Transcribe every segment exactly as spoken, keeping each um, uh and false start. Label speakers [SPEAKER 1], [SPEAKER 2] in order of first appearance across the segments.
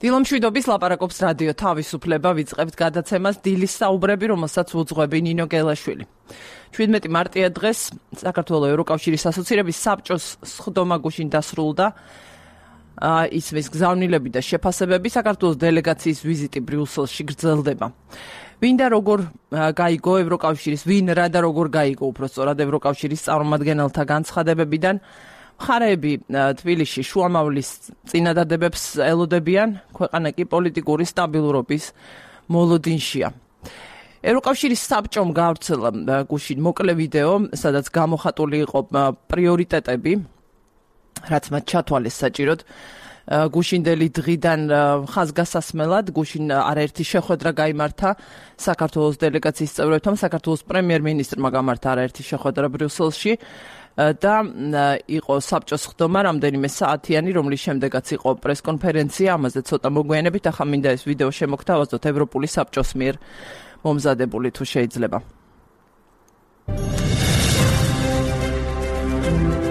[SPEAKER 1] დილომშვიდობის ლაპარაკობს რადიო თავისუფლება, ვიწყებთ გადაცემას დილის საუბრები, რომელსაც უძღვები ნინო გელაშვილი. შვიდმეტი მარტია დღეს საქართველოს ევროკავშირის ასოცირების საბჭოს სხდომა გუშინ დასრულდა. ისმის გზავნილები და შეფასებები, საქართველოს დელეგაციის ვიზიტი ბრიუსელში გრძელდება. ვინ და როგორ გაიგო ევროკავშირის, ვინ რა და როგორ გაიგო უпростоრად ევროკავშირის წარმომადგენელთა განცხადებებიდან, მხარეები თბილისში შუამავლის წინადადებებს ელოდებიან, ქვეყანა კი პოლიტიკური სტაბილურობის მოლოდინშია. ევროკავშირის საბჭომ გავრცელა გუშინ მოკლე ვიდეო, სადაც გამოხატული იყო პრიორიტეტები, რაც მათ ჩათვალეს საჭიროდ. გუშინდელი დღიდან ხაზგასასმელად გუშინ არაერთი შეხვედრა გაიმართა საქართველოს დელეგაციის წევრებთან, საქართველოს პრემიერ-მინისტრმა გამართა არაერთი შეხვედრა ბრიუსელში და იყო საბჭოს სხდომა რამდენიმე საათიანი, რომლის შემდეგაც იყო პრესკონფერენცია, ამაზე ცოტა მოგვიანებით, ახლა მინდა ეს ვიდეო შემოგთავაზოთ ევროპული საბჭოს მიერ მომზადებული თუ შეიძლება.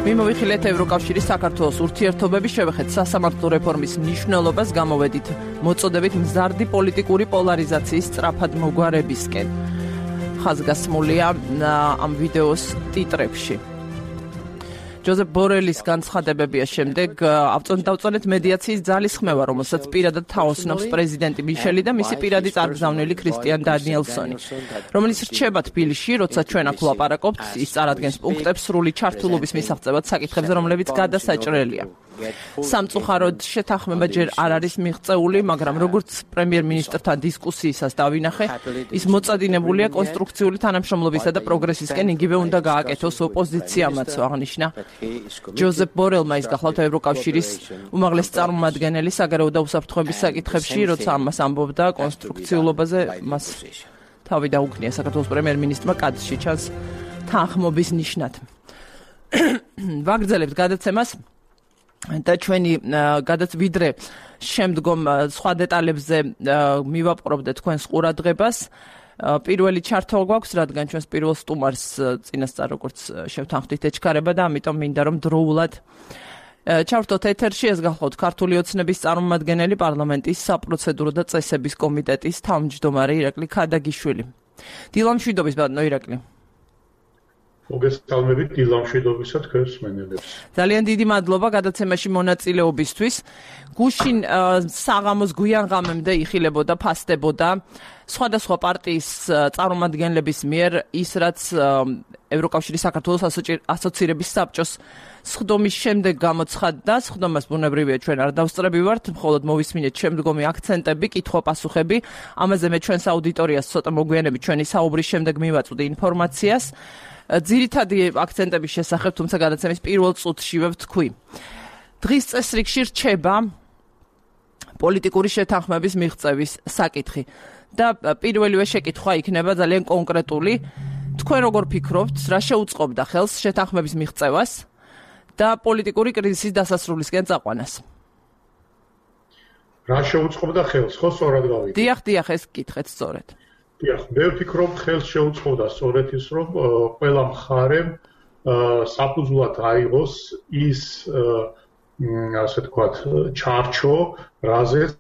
[SPEAKER 1] მიმოვიხილეთ ევროკავშირის საქართველოს ურთიერთობები, შევეხეთ სასამართლო რეფორმის მნიშვნელობას, გამოვედით მოწოდებით მზარდი პოლიტიკური პოლარიზაციის სწრაფად მოგვარებისკენ. ხაზგასმულია ამ ვიდეოს ტიტრებში. ჯოზეფ ბორელის განცხადებებია შემდეგ ავწონდავწონეთ მედიაციის ძალისხმევა, რომელსაც პირადად თაოსნობს პრეზიდენტი მიშელი და მისი პირადი წარგზავნილი ქრისტიან დანიელსონი, რომელიც რჩება თბილისში, როცა ჩვენ აქ ვლაპარაკობთ, ის წარადგენს პუნქტებს სრული ჩართულობის მისაღწევად საკითხებზე, რომლებიც გადასაჭრელია. სამწუხაროდ შეთანხმება ჯერ არ არის მიღწეული, მაგრამ როგორც პრემიერ-მინისტრთან დისკუსიისას დავინახე, ის მოწადინებულია კონსტრუქციული თანამშრომლობისა და პროგრესისკენ, იგივე უნდა გააკეთოს ოპოზიციამაც, აღნიშნა ჯოზეფ ბორელმა. ის გახლავთ ევროკავშირის უმაღლესი წარმომადგენელი საგარეო და უსაფრთხოების საკითხებში, როცა ამას ამბობდა კონსტრუქციულობაზე, მას თავი დაუქნია საქართველოს პრემიერ-მინისტრმა კადრში ჩანს თანხმობის ნიშნად. ვაგრძელებთ გადაცემას და ჩვენი გადაცვიდრე შემდგომ სხვა დეტალებზე მივაპყრობდეთ თქვენს ყურადღებას. პირველი ჩართვა გვაქვს, რადგან ჩვენს პირველ სტუმარს წინასწარ როგორც შევთანხმდით ეჩქარება და ამიტომ მინდა რომ დროულად ჩავთოთ ეთერში. ეს გახლავთ ქართული ოცნების წარმომადგენელი, პარლამენტის საპროცედურო და წესების კომიტეტის თავმჯდომარე ირაკლი ქადაგიშვილი. დილამშვიდობის ბატონო ირაკლი.
[SPEAKER 2] მოგესალმებით დილამშვიდობისა თქვენს მსმენელებს.
[SPEAKER 1] ძალიან დიდი მადლობა გადაცემაში მონაწილეობისთვის. გუშინ საღამოს გვიან ღამემდე იხილებოდა, ფასდებოდა სხვადასხვა პარტიის წარმომადგენლების მიერ ის, რაც ევროკავშირის საქართველოს ასოცირების საბჭოს სხდომის შემდეგ გამოცხადდა. სხდომას ბუნებრივია ჩვენ არ დავსწრებივართ, მხოლოდ მოვისმინეთ შემდგომი აქცენტები, კითხვა-პასუხები. ამაზე მე ჩვენს აუდიტორიას ცოტა მოგვიანებით ჩვენი საუბრის შემდეგ მივაწვდი ინფორმაციას. ძირითადი აქცენტების შესახებ, თუმცა გადაცემის პირველ წუთშივე ვთქვი. დღის წესრიგში რჩება პოლიტიკური შეთანხმების მიღწევის საკითხი და პირველივე შეკითხვა იქნება ძალიან კონკრეტული. თქვენ როგორ ფიქრობთ, რა შეუწყობდა ხელს შეთანხმების მიღწევას და პოლიტიკური კრიზისის დასასრულისკენ წაყვანას?
[SPEAKER 2] რა შეუწყობდა ხელს, ხო, სწორად გავიგე?
[SPEAKER 1] დიახ, დიახ, ეს კითხეთ სწორედ.
[SPEAKER 2] დიახ, მე ვფიქრობ, ხელს შეუწყობდა სწორედ ის, რომ ყველა მხარემ საფუძვლად აიღოს ის, ასე ვთქვათ, ჩარჩო, რაზეც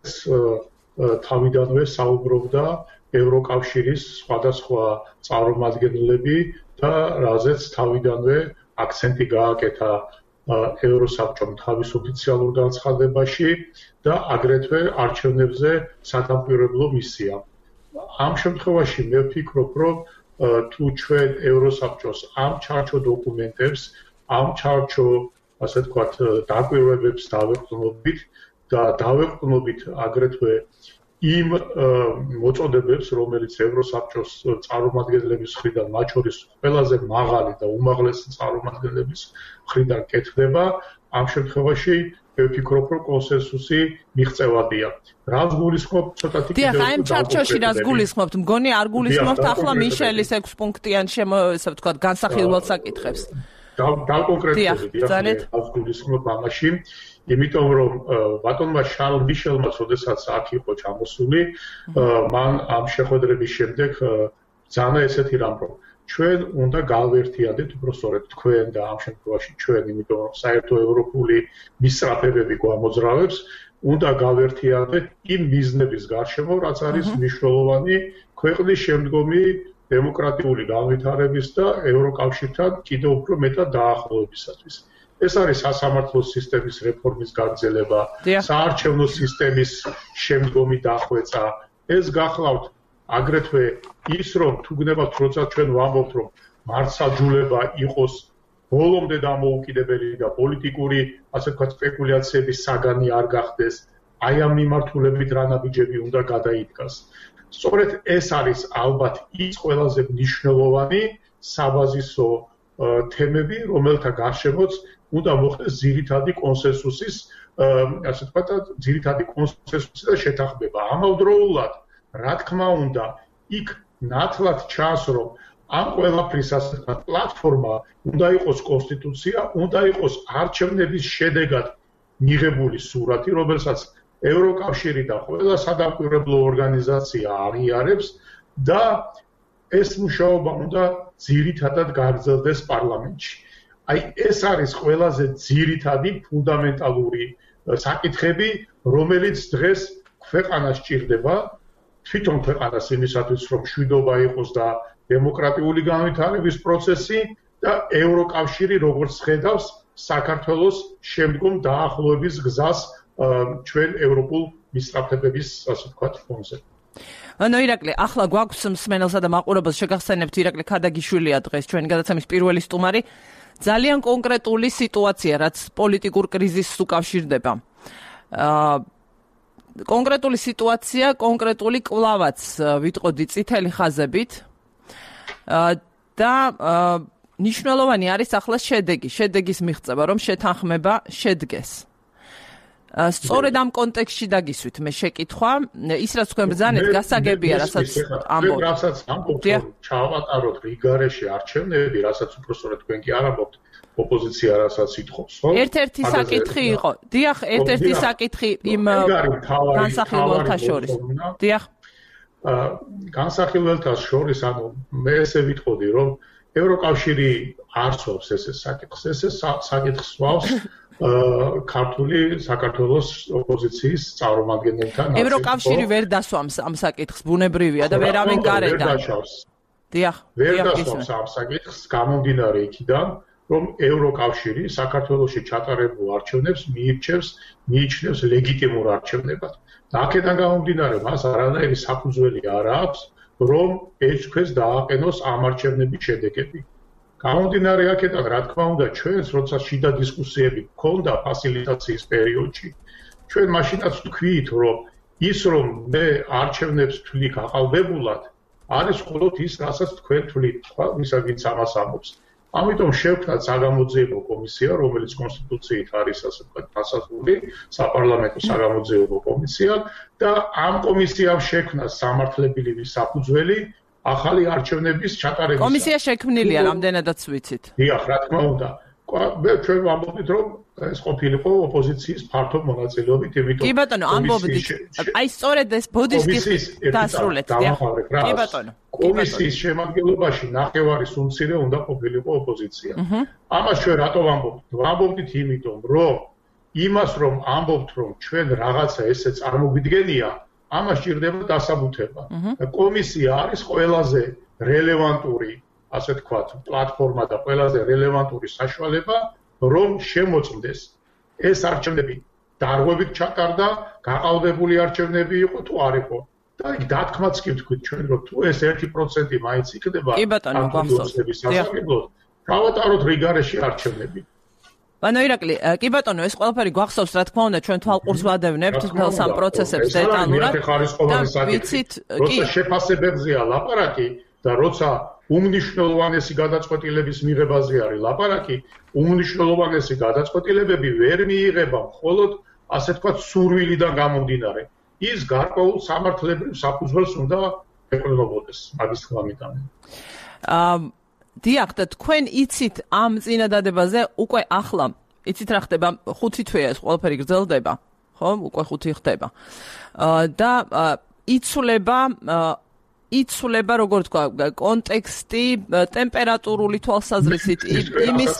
[SPEAKER 2] თავიდანვე საუბრობდა ევროკავშირის სხვადასხვა წარმომადგენლები და რაზეც თავიდანვე აქცენტი გააკეთა ევროსაბჭომ თავის ოფიციალურ განცხადებაში და აგრეთვე არჩევნებზე სადამკვირვებლო მისიამ. ამ შემთხვევაში მე ვფიქრობ, რომ თუ ჩვენ ევროსაბჭოს ამ ჩარჩო დოკუმენტებს, ამ ჩარჩო, ასე ვთქვათ, დაკვირვებებს დავეყრდნობით და დავეყრდნობით აგრეთვე იმ მოწოდებებს, რომელიც ევროსაბჭოს წარმომადგენლების მხრიდან, მათ შორის ყველაზე მაღალი და უმაღლესი წარმომადგენლების მხრიდან კეთდება, ამ შემთხვევაში მე ვფიქრობ, რომ კონსენსუსი მიღწევადია. რაც გულისხმობ ცოტათი
[SPEAKER 1] კიდევ დიახ, ამ ჩარჩოში რაც გულისხმობთ, მგონი არ გულისხმობთ ახლა მიშელის ექვს პუნქტიან შემო, ესე ვთქვათ, განსახილველ საკითხებს.
[SPEAKER 2] დავკონკრეტებით, დიახ, რაც გულისხმობ ამაში, იმიტომ რომ ბატონმა შარლ მიშელმა, როდესაც აქ იყო ჩამოსული, მან ამ შეხვედრების შემდეგ ძალიან ესეთი რამ რომ ჩვენ უნდა გავერთიანდეთ უბრალოდ თქვენ და ამ შემთხვევაში ჩვენ, იმიტომ რომ საერთო ევროპული მისწრაფებები გვამოძრავებს, უნდა გავერთიანდეთ იმ მიზნების გარშემო, რაც არის მნიშვნელოვანი ქვეყნის შემდგომი დემოკრატიული განვითარების და ევროკავშირთან კიდევ უფრო მეტად დაახლოებისათვის. ეს არის სასამართლო სისტემის რეფორმის გაგრძელება, საარჩევნო სისტემის შემდგომი დახვეწა. ეს გახლავთ აგრეთვე ის, რომ თუ გნებავთ, როცა ჩვენ ვამბობთ, რომ მართლმსაჯულება იყოს ბოლომდე დამოუკიდებელი და პოლიტიკური, ასე ვთქვათ, სპეკულაციების საგანი არ გახდეს, აი ამ მიმართულებით რა ნაბიჯები უნდა გადაიდგას. სწორედ ეს არის ალბათ ის ყველაზე მნიშვნელოვანი საბაზისო თემები, რომელთა გარშემოც უნდა მოხდეს ძირითადი კონსენსუსის, ასე ვთქვათ, ძირითადი კონსენსუსი და შეთანხმება. ამავდროულად, რა თქმა უნდა, იქ ნათლად ჩანს, რომ ამ ყველაფრის, ასე ვთქვათ, პლატფორმა უნდა იყოს კონსტიტუცია, უნდა იყოს არჩევნების შედეგად მიღებული სურათი, რომელსაც ევროკავშირი და ყველა სადამკვირვებლო ორგანიზაცია აღიარებს და ეს მუშაობა უნდა ძირითადად გაგრძელდეს პარლამენტში. აი ეს არის ყველაზე ძირითადი ფუნდამენტალური საკითხები, რომელიც დღეს ქვეყანას სჭირდება, თვითონ ქვეყანას იმისათვის, რომ მშვიდობა იყოს და დემოკრატიული განვითარების პროცესი და ევროკავშირი როგორც ხედავს საქართველოს შემდგომ დაახლოების გზას ჩვენ ევროპულ მისწრაფებების, ასე ვთქვათ, ფონზე.
[SPEAKER 1] ანუ ირაკლი, ახლა გვაქვს მსმენელსა და მაყურებელს შეგახსენებთ, ირაკლი ქადაგიშვილია დღეს ჩვენი გადაცემის პირველი სტუმარი. ძალიან კონკრეტული სიტუაცია, რაც პოლიტიკურ კრიზისს უკავშირდება. აა კონკრეტული სიტუაცია, კონკრეტული კვლავაც ვიტყოდი წითელი ხაზებით. და ნიშნულოვანი არის ახლა შედეგი, შედეგის მიღწევა, რომ შეთანხმება შედგეს. სწორედ ამ კონტექსტში დაგისვით მე შეკითხვა, ის რაც თქვენ ბრძანეთ, გასაგებია, რასაც ამბობთ.
[SPEAKER 2] რასაც ამბობთ, ჩავატაროთ რიგარეში არჩევნები, რასაც უფრო სწორედ თქვენ კი არ ამბობთ, ოპოზიცია რასაც ითხოვს, ხო?
[SPEAKER 1] ერთ-ერთი საკითხი იყო. დიახ, ერთ-ერთი საკითხი იმ განსახილველთა შორის. დიახ.
[SPEAKER 2] განსახილველთა შორის, ანუ მე ესე ვიტყოდი, რომ ევროკავშირი არ სვავს ესე საკითხს, ესე საკითხს სვავს ქართული საქართველოს ოპოზიციის წარმომადგენელთან.
[SPEAKER 1] ევროკავშირი ვერ დასვამს ამ საკითხს, ბუნებრივია და ვერავინ გარედან.
[SPEAKER 2] ვერ დაშავს.
[SPEAKER 1] დიახ,
[SPEAKER 2] ვერ დასვამს ამ საკითხს, გამომდინარე იქიდან, რომ ევროკავშირი საქართველოში ჩატარებულ არჩევნებს მიირჩევს, მიიჩნევს ლეგიტიმურ არჩევნებად. აქედან გამომდინარე, მას არანაირი საფუძველი არ აქვს, რომ ეჭქვეს დააყენოს ამ არჩევნების შედეგები. გამომდინარე აქედან, რა თქმა უნდა, ჩვენს როცა შიდა დისკუსიები გქონდა ფასილიტაციის პერიოდში, ჩვენ მაშინაც ვთქვით, რომ ის რომ მე არჩევნებს ვთვლი გაყალბებულად, არის მხოლოდ ის, რასაც თქვენ თვლით, სხვა ვისაც ვინც ამას ამბობს. ამიტომ შევქმნათ საგამოძიებო კომისია, რომელიც კონსტიტუციით არის, ასე ვთქვათ, დასაზღვრული, საპარლამენტო საგამოძიებო კომისია და ამ კომისიამ შექმნა სამართლებრივი საფუძველი ახალი არჩევნების ჩატარებისა.
[SPEAKER 1] კომისია შექმნილია, რამდენადაც ვიცით.
[SPEAKER 2] დიახ, რა თქმა უნდა. მე ჩვენ ვამბობთ, რომ ეს ყოფილიყო ოპოზიციის ფართო მონაწილეობით, იმიტომ
[SPEAKER 1] კი ბატონო, ამბობდით. აი სწორედ ეს ბოდიშკი დასრულეთ, დიახ. კი ბატონო.
[SPEAKER 2] კომისიის შემადგენლობაში ნახევარის უმცირე უნდა ყოფილიყო ოპოზიცია. ამას ჩვენ რატო ვამბობთ? ვამბობთ იმიტომ, რომ იმას რომ ამბობთ, რომ ჩვენ რაღაცა ესე წარმოგვიდგენია, ამას ჭირდება დასაბუთება. კომისია არის ყველაზე რელევანტური, ასე ვთქვათ, პლატფორმა და ყველაზე რელევანტური საშუალება, რომ შემოწმდეს ეს არჩევნები დარღვევით ჩატარდა, გაყალბებული არჩევნები იყო თუ არ იყო. და იქ დათქმაც კი ვთქვით ჩვენ, რომ თუ ეს ერთი პროცენტი მაინც იქნება,
[SPEAKER 1] კი ბატონო,
[SPEAKER 2] გახსოვს. გავატაროთ რიგარეში არჩევნები.
[SPEAKER 1] ანუ ირაკლი, კი ბატონო, ეს ყველაფერი გვახსოვს, რა თქმა უნდა, ჩვენ თვალყურს ვადევნებთ თელ სამ პროცესებს დეტალურად.
[SPEAKER 2] და ვიცით, კი, შეფასებებზეა ლაპარაკი და როცა უმნიშვნელოვანესი გადაწყვეტილების მიღებაზე არის ლაპარაკი, უმნიშვნელოვანესი გადაწყვეტილებები ვერ მიიღება მხოლოდ, ასე ვთქვათ, სურვილიდან გამომდინარე. ის გარკვეულ სამართლებრივ საფუძველს უნდა ეყრდნობოდეს მაგის თქმიდან.
[SPEAKER 1] აა დიახ, და თქვენ იცით ამ წინადადებაზე უკვე ახლა, იცით რა ხდება, ხუთი თვეა ეს ყველაფერი გრძელდება, ხო? უკვე ხუთი ხდება. აა და იცვლება იცვლება, როგორ თქვა, კონტექსტი, ტემპერატურული თვალსაზრისით, იმის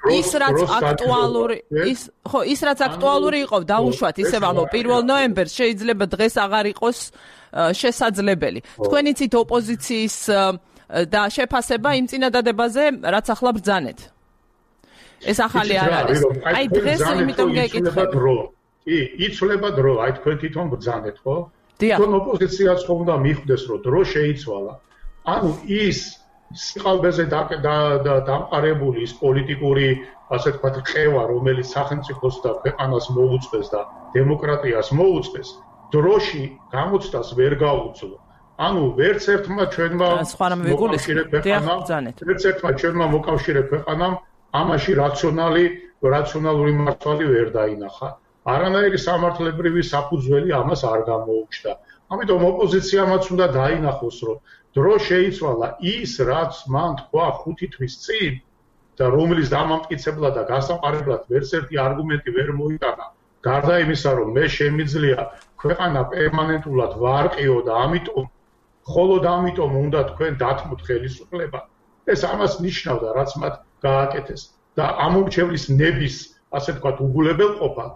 [SPEAKER 1] ის რაც აქტუალური, ის ხო, ის რაც აქტუალური იყო, დაუშვათ, ისე ვამბობ, პირველ ნოემბერს შეიძლება დღეს აღარ იყოს შესაძლებელი. თქვენ იცით ოპოზიციის და შეფასება იმ წინადადებაზე, რაც ახლა ბრძანეთ. ეს ახალი არ არის. აი დღეს იმიტომ გეკითხებ.
[SPEAKER 2] კი, იცვლება დრო, აი თქვენ თვითონ ბრძანეთ, ხო? თქვენ ოპოზიციაც ხომ უნდა მიხვდეს, რომ დრო შეიცვალა. ანუ ის სიყალბეზე დამყარებული ის პოლიტიკური, ასე ვთქვათ, ყევა, რომელიც სახელმწიფოს და ქვეყანას მოუწყეს და დემოკრატიას მოუწყეს, დროში გამოცდას ვერ გაუძლო. ანუ ვერც ერთმა ჩვენმა მოკავშირე ქვეყანამ, ვერც ერთმა ჩვენმა მოკავშირე ქვეყანამ ამაში რაციონალი, რაციონალური მართვალი ვერ დაინახა. არანაირი სამართლებრივი საფუძველი ამას არ გამოუჩნდა. ამიტომ ოპოზიციამაც უნდა დაინახოს, რომ დრო შეიცვალა ის, რაც მან თქვა ხუთი თვის წინ და რომლის დამამტკიცებლად და გასაყარებლად ვერც ერთი არგუმენტი ვერ მოიტანა. გარდა იმისა, რომ მე შემიძლია ქვეყანა პერმანენტულად ვარყიო და ამიტომ მხოლოდ ამიტომ უნდა თქვენ დათმოთ ხელისუფლება. ეს ამას ნიშნავდა, რაც მათ გააკეთეს და ამორჩევლის ნების, ასე ვთქვათ, უგულებელყოფა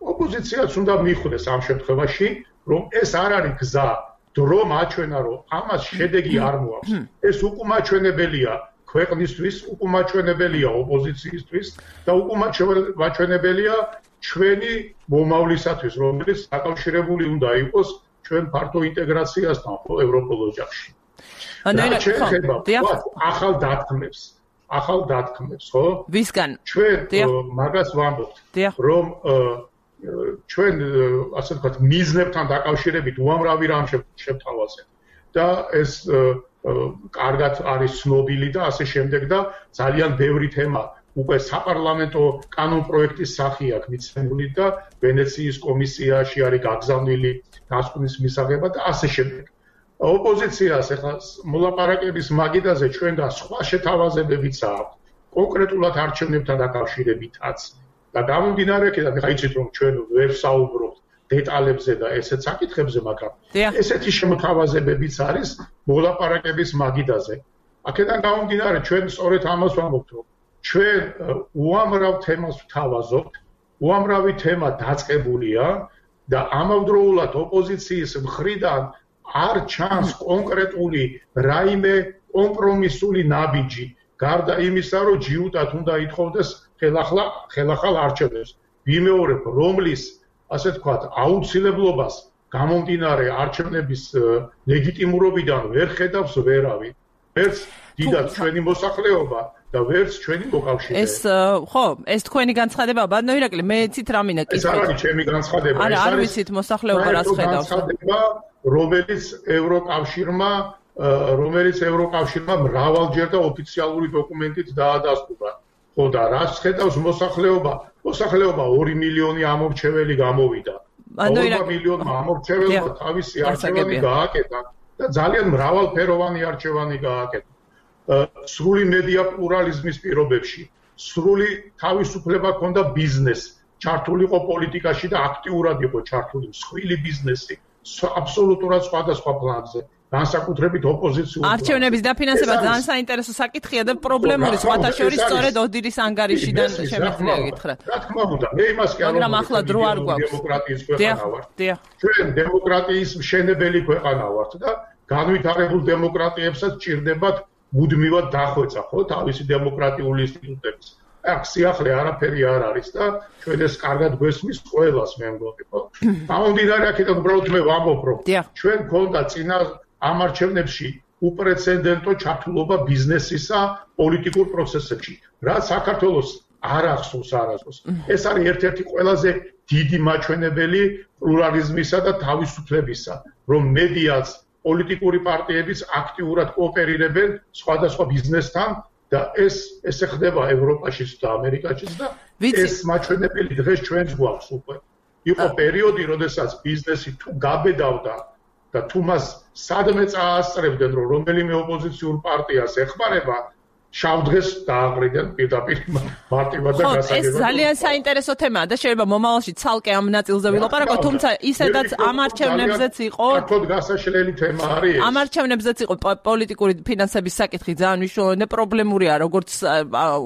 [SPEAKER 2] ოპოზიციაც უნდა მიხვდეს ამ შემთხვევაში, რომ ეს არ არის გზა, დრო მაჩვენა, რომ ამას შედეგი არ მოაქვს. ეს უკუმაჩვენებელია ქვეყნისთვის, უკუმაჩვენებელია ოპოზიციისთვის და უკუმაჩვენებელია ჩვენი მომავლისათვის, რომელიც დაკავშირებული უნდა იყოს ჩვენ ფართო ინტეგრაციასთან ევროპულ ოჯახში. ახალ დათქმებს, ახალ დათქმებს, ხო?
[SPEAKER 1] ვისგან?
[SPEAKER 2] ჩვენ მაგას ვამბობთ, რომ ჩვენ ასე ვთქვათ მიზნებთან დაკავშირებით უამრავი რამ შევთავაზეთ და ეს კარგად არის ცნობილი და ასე შემდეგ და ძალიან ბევრი თემა უკვე საპარლამენტო კანონპროექტის სახე აქვს მიცემული და ვენეციის კომისიაში არის გაგზავნილი დასკვნის მისაღებად და ასე შემდეგ. ოპოზიციას ახლა მოლაპარაკების მაგიდაზე ჩვენგან სხვა შეთავაზებებიც აქვს კონკრეტულად არჩევნებთან დაკავშირებითაც. და გამომდინარე აქედან ხა იცით რომ ჩვენ ვერ საუბრობთ დეტალებზე და ესეც საკითხებზე, მაგრამ ესეთი შემოთავაზებებიც არის მოლაპარაკების მაგიდაზე. აქედან გამომდინარე ჩვენ სწორედ ამას ვამბობთ, რომ ჩვენ უამრავ თემას ვთავაზობთ, უამრავი თემა დაწყებულია და ამავდროულად ოპოზიციის მხრიდან არ ჩანს კონკრეტული რაიმე კომპრომისული ნაბიჯი, გარდა იმისა, რომ ჯიუტად უნდა ითხოვდეს ხელახლა ხელახალ არჩევნებს. ვიმეორებ, რომლის, ასე ვთქვათ, აუცილებლობას გამომდინარე არჩევნების ლეგიტიმურობიდან ვერ ხედავს ვერავინ. ვერც დიდად ჩვენი მოსახლეობა და ვერც ჩვენი მოკავშირე.
[SPEAKER 1] ეს ხო, ეს თქვენი განცხადებაა, ბატონო ირაკლი, მე ცით რამინა კითხვა.
[SPEAKER 2] ეს არ არის ჩემი განცხადება,
[SPEAKER 1] ეს არის არ ვიცით მოსახლეობა რას ხედავს.
[SPEAKER 2] განცხადება, რომელიც ევროკავშირმა რომელიც ევროკავშირმა მრავალჯერ და ოფიციალური დოკუმენტით დაადასტურა. ხო და რაც ხედავს მოსახლეობა, მოსახლეობა ორი მილიონი ამორჩეველი გამოვიდა. ორი მილიონმა ამორჩეველმა თავისი არჩევანი გააკეთა და ძალიან მრავალფეროვანი არჩევანი გააკეთა. სრული მედია პლურალიზმის პირობებში, სრული თავისუფლება ჰქონდა ბიზნეს, ჩართული იყო პოლიტიკაში და აქტიურად იყო ჩართული მსხვილი ბიზნესი, აბსოლუტურად სხვადასხვა პლანზე. განსაკუთრებით ოპოზიციური
[SPEAKER 1] არჩევნების დაფინანსება ძალიან საინტერესო საკითხია და პრობლემური სხვათა შორის სწორედ ოდირის ანგარიშიდან შემიძლია გითხრათ.
[SPEAKER 2] რა თქმა უნდა, მე იმას კი არ
[SPEAKER 1] მაგრამ ახლა დრო არ გვაქვს.
[SPEAKER 2] დემოკრატიის ქვეყანა ვართ.
[SPEAKER 1] დიახ.
[SPEAKER 2] ჩვენ დემოკრატიის მშენებელი ქვეყანა ვართ და განვითარებულ დემოკრატიებსაც ჭირდებათ მუდმივად დახვეწა, ხო, თავისი დემოკრატიული ინსტიტუტების. აქ სიახლე არაფერი არ არის და ჩვენ ეს კარგად გვესმის ყველას მე მგონი, ხო? გამომდინარე აქედან უბრალოდ მე ვამბობ, რომ ჩვენ გქონდა წინა ამ არჩევნებში უპრეცედენტო ჩართულობა ბიზნესისა პოლიტიკურ პროცესებში, რაც საქართველოს არ ახსოვს არასდროს. ეს არის ერთ-ერთი ყველაზე დიდი მაჩვენებელი პლურალიზმისა და თავისუფლებისა, რომ მედიაც, პოლიტიკური პარტიებიც აქტიურად კოოპერირებენ სხვადასხვა ბიზნესთან და ეს ესე ხდება ევროპაშიც და ამერიკაშიც და ეს მაჩვენებელი დღეს ჩვენს გვაქვს უკვე. იყო პერიოდი, როდესაც ბიზნესი თუ გაბედავდა და თუ მას სადმე წაასწრებდნენ, რომ რომელიმე ოპოზიციურ პარტიას ეხმარება, შავდღეს დააყრიდან პირდაპირ მარტივად და გასაგებად.
[SPEAKER 1] ეს ძალიან საინტერესო თემაა და შეიძლება მომავალში ცალკე ამ ნაწილზე ვილაპარაკოთ, თუმცა ისედაც ამ არჩევნებზეც იყო
[SPEAKER 2] ფაქტობრივად გასაშლელი თემა არის.
[SPEAKER 1] ამ არჩევნებზეც იყო პოლიტიკური ფინანსების საკითხი ძალიან მნიშვნელოვანი და პრობლემურია, როგორც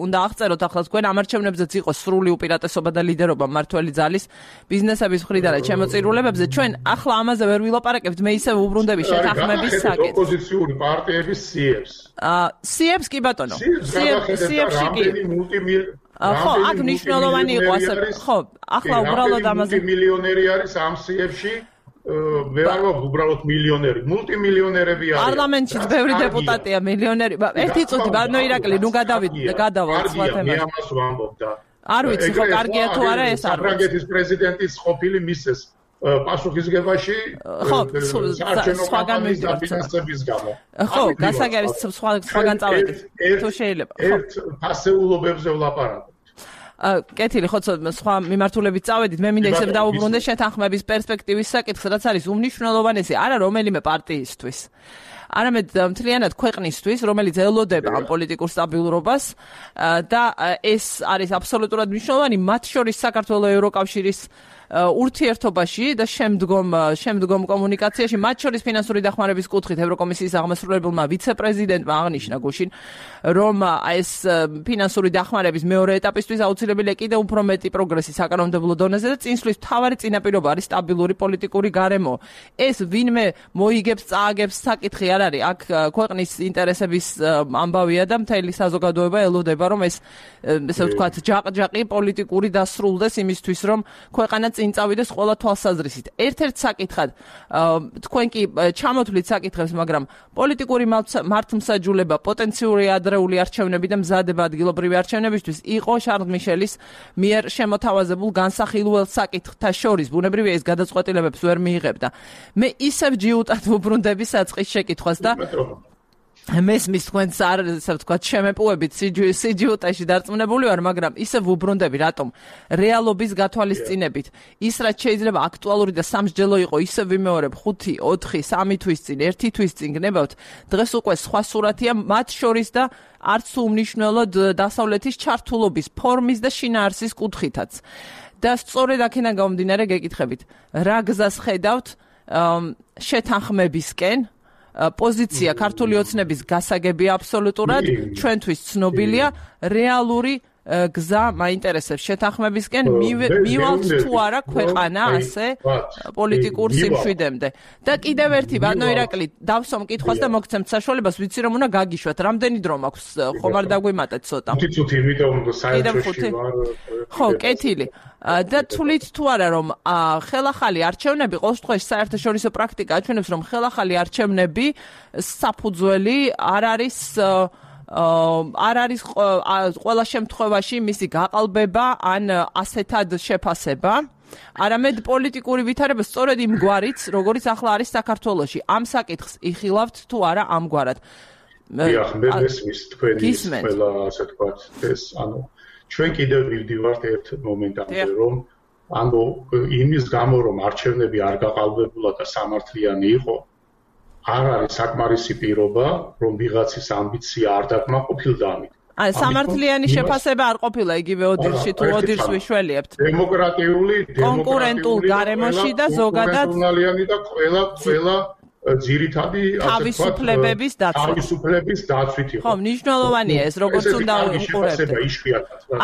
[SPEAKER 1] უნდა აღწეროთ ახლა თქვენ ამ არჩევნებზეც იყო სრული უპირატესობა და ლიდერობა მმართველი ძალის ბიზნესების მხრიდან შემოწირულებებზე. ჩვენ ახლა ამაზე ვერ ვილაპარაკებთ, მე ისევ უბრუნდები შეთანხმების საკითხს.
[SPEAKER 2] ოპოზიციური პარტიების სიებს.
[SPEAKER 1] აა სიებს კი ბატონო. სიებში კი ხო, აქ მნიშვნელოვანი იყო ასე. ხო, ახლა უბრალოდ ამაზე
[SPEAKER 2] მილიონერი არის ამ სიებში. ვერ არ ვაქვს უბრალოდ მილიონერი, მულტიმილიონერები არიან.
[SPEAKER 1] პარლამენტშიც ბევრი დეპუტატია მილიონერი. ერთი წუთი ბანო ირაკლი, ნუ გადავიდ, გადავალ სხვა თემას.
[SPEAKER 2] მე ამას ვამბობ და
[SPEAKER 1] არ ვიცი ხო კარგია თუ არა ეს არ.
[SPEAKER 2] საფრანგეთის პრეზიდენტის ყოფილი მისეს პასუხისგებაში
[SPEAKER 1] სხვაგან
[SPEAKER 2] მივიდეთ გამო.
[SPEAKER 1] ხო, გასაგებია სხვა სხვაგან წავედით. თუ შეიძლება.
[SPEAKER 2] ერთ ფასეულობებზე ვლაპარაკობ.
[SPEAKER 1] კეთილი, ხო, სხვა მიმართულებით წავედით, მე მინდა ისევ დაუბრუნდე შეთანხმების პერსპექტივის საკითხს, რაც არის უმნიშვნელოვანესი არა რომელიმე პარტიისთვის. არამედ მთლიანად ქვეყნისთვის, რომელიც ელოდება ამ პოლიტიკურ სტაბილურობას და ეს არის აბსოლუტურად მნიშვნელოვანი მათ შორის საქართველოს ევროკავშირის ურთიერთობაში და შემდგომ შემდგომ კომუნიკაციაში, მათ შორის ფინანსური დახმარების კუთხით ევროკომისიის აღმასრულებელმა ვიცე-პრეზიდენტმა აღნიშნა გუშინ, რომ ეს ფინანსური დახმარების მეორე ეტაპისთვის აუცილებელია კიდევ უფრო მეტი პროგრესი საკანონმდებლო დონეზე და წინსვლის მთავარი წინაპირობა არის სტაბილური პოლიტიკური გარემო. ეს ვინმე მოიგებს, წააგებს საკითხი არ არის. აქ ქვეყნის ინტერესების ამბავია და მთელი საზოგადოება ელოდება, რომ ეს ესე ვთქვათ, ჯაყ-ჯაყი პოლიტიკური დასრულდეს იმისთვის, რომ ქვეყანა წინ წავიდეს ყველა თვალსაზრისით. ერთ-ერთ საკითხად თქვენ კი ჩამოთვლით საკითხებს, მაგრამ პოლიტიკური მართლმსაჯულება, პოტენციური ადრეული არჩევნები და მზადება ადგილობრივი არჩევნებისთვის იყო შარლ მიშელის მიერ შემოთავაზებულ განსახილველ საკითხთა შორის. ბუნებრივია ეს გადაწყვეტილებებს ვერ მიიღებდა. მე ისევ ჯიუტად ვუბრუნდები საწყის შეკითხვას და მესმის თქვენს არ ესე ვთქვათ შემეპუებით სიჯიუტაში დარწმუნებული ვარ, მაგრამ ისევ ვუბრუნდები რატომ რეალობის გათვალისწინებით ის რაც შეიძლება აქტუალური და სამსჯელო იყო ისევ ვიმეორებ ხუთი, ოთხი, სამი თვის წინ, ერთი თვის წინ გნებავთ. დღეს უკვე სხვა სურათია მათ შორის და არც უმნიშვნელოდ დასავლეთის ჩართულობის ფორმის და შინაარსის კუთხითაც. და სწორედ აქედან გამომდინარე გეკითხებით, რა გზას ხედავთ შეთანხმებისკენ? პოზიცია ქართული ოცნების გასაგებია აბსოლუტურად, ჩვენთვის ცნობილია, რეალური გზა მაინტერესებს შეთანხმებისკენ მივალთ თუ არა ქვეყანა ასე პოლიტიკურ სიმშვიდემდე. და კიდევ ერთი ბანო ირაკლი დავსვამ კითხვას და მოგცემთ საშუალებას, ვიცი რომ უნდა გაგიშვათ. რამდენი დრო მაქვს? ხომ არ დაგვიმატეთ ცოტა.
[SPEAKER 2] ხუთი წუთი, იმიტომ საერთოში ვარ.
[SPEAKER 1] ხო, კეთილი. და თulit თუ არა რომ ხელახალი არჩევნები ყოველ შემთხვევაში საერთაშორისო პრაქტიკა აჩვენებს რომ ხელახალი არჩევნები საფუძველი არ არის არ არის ყველა შემთხვევაში მისი გაყალბება ან ასეთად შეფასება, არამედ პოლიტიკური ვითარება სწორედ იმგვარიც, როგორც ახლა არის საქართველოში. ამ საკითხს იხილავთ თუ არა ამგვარად?
[SPEAKER 2] დიახ, მე მესმის თქვენი ყველა ასე ვთქვათ ეს ანუ ჩვენ კიდევ ვივდივართ ერთ მომენტამდე, რომ ანუ იმის გამო რომ არჩევნები არ გაყალბებულა და სამართლიანი იყო, არ არის საკმარისი პირობა, რომ ვიღაცის ამბიცია არ დაკმაყოფილდა ამით.
[SPEAKER 1] აი, სამართლიანი შეფასება არ ყოფილა იგივე ოდირში თუ ოდირს ვიშველიებთ.
[SPEAKER 2] დემოკრატიული,
[SPEAKER 1] კონკურენტულ გარემოში და ზოგადად
[SPEAKER 2] და ყველა ყველა ძირითადი
[SPEAKER 1] თავისუფლებების დაცვა.
[SPEAKER 2] თავისუფლების დაცვით იყო.
[SPEAKER 1] ხო, მნიშვნელოვანია ეს, როგორც უნდა უყურებდეთ.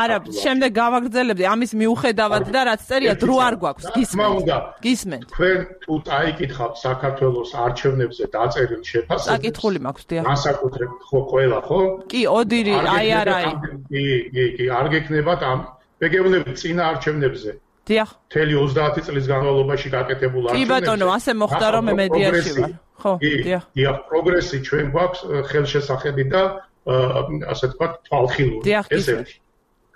[SPEAKER 1] არა, შემდეგ გავაგრძელებდი ამის მიუხედავად და რაც წერია დრო არ გვაქვს. გისმენთ. გისმენთ.
[SPEAKER 2] თქვენ თუ წაიკითხავთ საქართველოს არჩევნებზე დაწერილ შეფასებას.
[SPEAKER 1] საკითხული მაქვს, დიახ.
[SPEAKER 2] განსაკუთრებით ხო ყველა, ხო?
[SPEAKER 1] კი, ოდირი, აი არაი.
[SPEAKER 2] კი, კი, კი, არ გეკნებათ ამ ბეგევნები წინა არჩევნებზე.
[SPEAKER 1] დიახ.
[SPEAKER 2] მთელი ოცდაათი წლის განმავლობაში გაკეთებულ არჩევნებზე.
[SPEAKER 1] კი ბატონო, ასე მოხდა რომ მე მედიაში ვარ. ხო, დიახ.
[SPEAKER 2] დიახ, პროგრესი ჩვენ გვაქვს ხელშესახედი და ასე ვთქვათ, თვალხილული. ესე იგი.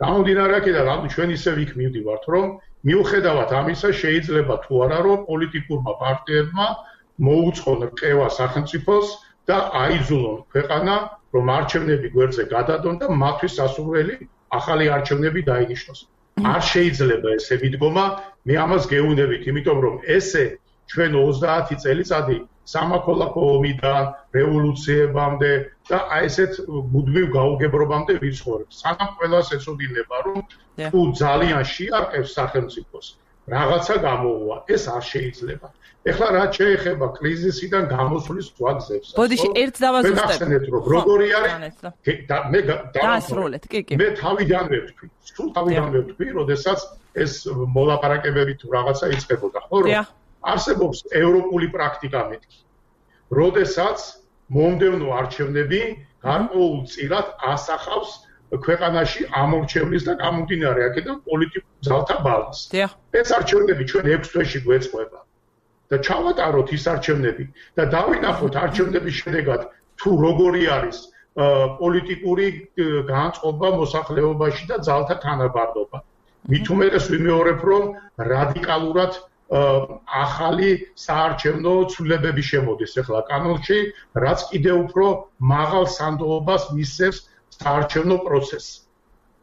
[SPEAKER 2] გამომდინარე აქედან, ანუ ჩვენ ისე იქ მივდივართ, რომ მიუხედავად ამისა შეიძლება თუ არა რომ პოლიტიკურმა პარტიებმა მოუწყონ რყევა სახელმწიფოს და აიძულონ ქვეყანა, რომ არჩევნები გვერდზე გადადონ და მათთვის სასურველი ახალი არჩევნები დაინიშნოს. არ შეიძლება ესე მიდგომა, მე ამას გეუბნებით, იმიტომ რომ ესე ჩვენ ოცდაათი წელიწადი სამოქალაქო ომიდან რევოლუციებამდე და აი ესეთ მუდმივ გაუგებრობამდე ვიცხოვრებ. სანამ ყველას ეცოდინება, რომ თუ ძალიან შეარყევს სახელმწიფოს, რაღაცა გამოვა, ეს არ შეიძლება. ეხლა რაც შეეხება კრიზისიდან გამოსვლის ვაგზებს.
[SPEAKER 1] ბოდიში ერთ დავაზუსტებ.
[SPEAKER 2] როგორი არის? მე
[SPEAKER 1] დაასრულეთ, კი, კი.
[SPEAKER 2] მე თავიდანვე ვთქვი, სულ თავიდანვე ვთქვი, როდესაც ეს მოლაპარაკებები თუ რაღაცა იწყებოდა, ხო რომ არსებობს ევროპული პრაქტიკა მეთქი. როდესაც მომდევნო არჩევნები გარკვეულ წილად ასახავს ქვეყანაში ამორჩევლის და გამომდინარე აქედან პოლიტიკურ ძალთა ბალანსს. ეს არჩევნები ჩვენ ექვს თვეში გვეწყდება. და ჩავატაროთ ის არჩევნები და დავინახოთ არჩევნების შედეგად თუ როგორი არის პოლიტიკური განწყობა მოსახლეობაში და ძალთა თანაბარდობა. მით უმეტეს ვიმეორებ, რომ რადიკალურად ახალი საარჩევნო ცვლილებები შემოდის ახლა კანონში, რაც კიდევ უფრო მაღალ სანდოობას მისცემს საარჩევნო პროცესს.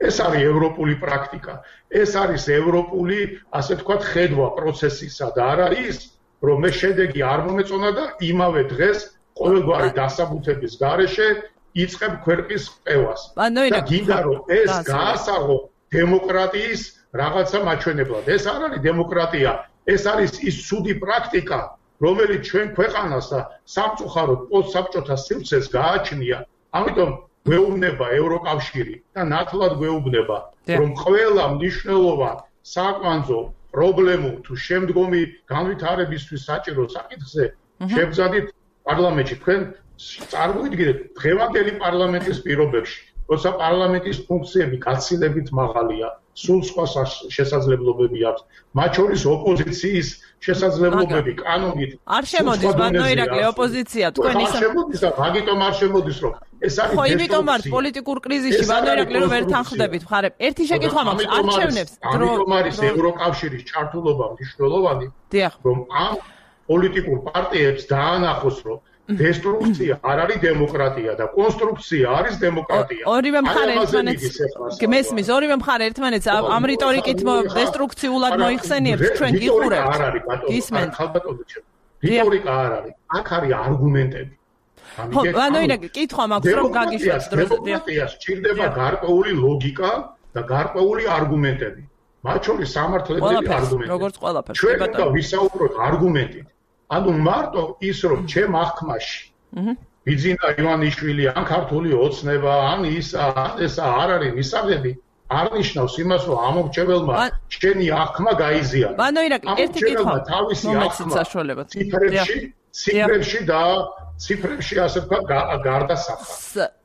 [SPEAKER 2] ეს არის ევროპული პრაქტიკა. ეს არის ევროპული, ასე ვთქვათ, ხედვა პროცესისა და არა ის, რომ მე შედეგი არ მომეწონა და იმავე დღეს ყოველგვარი დასაბუთების გარეშე იწყებ ქვეყნის ყევას. და გინდა რომ ეს გაასაღო დემოკრატიის რაღაცა მაჩვენებლად. ეს არ არის დემოკრატია, ეს არის ის ცუდი პრაქტიკა, რომელიც ჩვენ ქვეყანას და სამწუხაროდ პოსტსაბჭოთა სივრცეს გააჩნია. ამიტომ გვეუბნება ევროკავშირი და ნათლად გვეუბნება, რომ ყველა მნიშვნელოვან საკვანძო პრობლემურ თუ შემდგომი განვითარებისთვის საჭირო საკითხზე შევძადით პარლამენტში. თქვენ წარმოიდგინეთ დღევანდელი პარლამენტის პირობებში, როცა პარლამენტის ფუნქციები გაცილებით მაღალია, სულ სხვა შესაძლებლობები აქვს, მათ შორის ოპოზიციის შესაძლებლობები კანონით
[SPEAKER 1] არ შემოდის, ბატონო ირაკლი, ოპოზიცია თქვენ ის
[SPEAKER 2] არ შემოდის და მაგიტომ არ შემოდის, რომ ეს არის
[SPEAKER 1] ხო, იმიტომ არის პოლიტიკურ კრიზისში, ბატონო ირაკლი, რომ ვერ თანხმდებით მხარებს. ერთი შეკითხვა მაქვს, არჩევნებს
[SPEAKER 2] დრო ამიტომ არის ევროკავშირის ჩართულობა მნიშვნელოვანი, რომ ამ პოლიტიკურ პარტიებს დაანახოს, რომ დესტრუქცია არ არის დემოკრატია და კონსტრუქცია არის დემოკრატია.
[SPEAKER 1] ორივე მხარე ერთმანეთს გმესმის, ორივე მხარე ერთმანეთს ამ რიტორიკით დესტრუქციულად მოიხსენიებს, ჩვენ გიყურებთ.
[SPEAKER 2] გისმენთ. რიტორიკა არ არის, აქ არის არგუმენტები.
[SPEAKER 1] ხო, ანუ ირაკლი, კითხვა მაქვს, რომ გაგიშვათ დროზე.
[SPEAKER 2] დემოკრატიას სჭირდება გარკვეული ლოგიკა და გარკვეული არგუმენტები. მათ შორის სამართლებრივი არგუმენტები.
[SPEAKER 1] როგორც ყველაფერს,
[SPEAKER 2] ჩვენ და ვისაუბროთ არგუმენტით. ანუ მარტო ის რომ ჩემ აღქმაში ბიძინა ივანიშვილი ან ქართული ოცნება ან ის ან ეს არ არის მისაღები არ ნიშნავს იმას რომ ამორჩეველმა შენი აღქმა გაიზიანა.
[SPEAKER 1] ბანო ირაკლი, ერთი კითხვა
[SPEAKER 2] თავისი აღქმა ციფრებში ციფრებში და ციფრებში ასე ვთქვათ გარდასახა.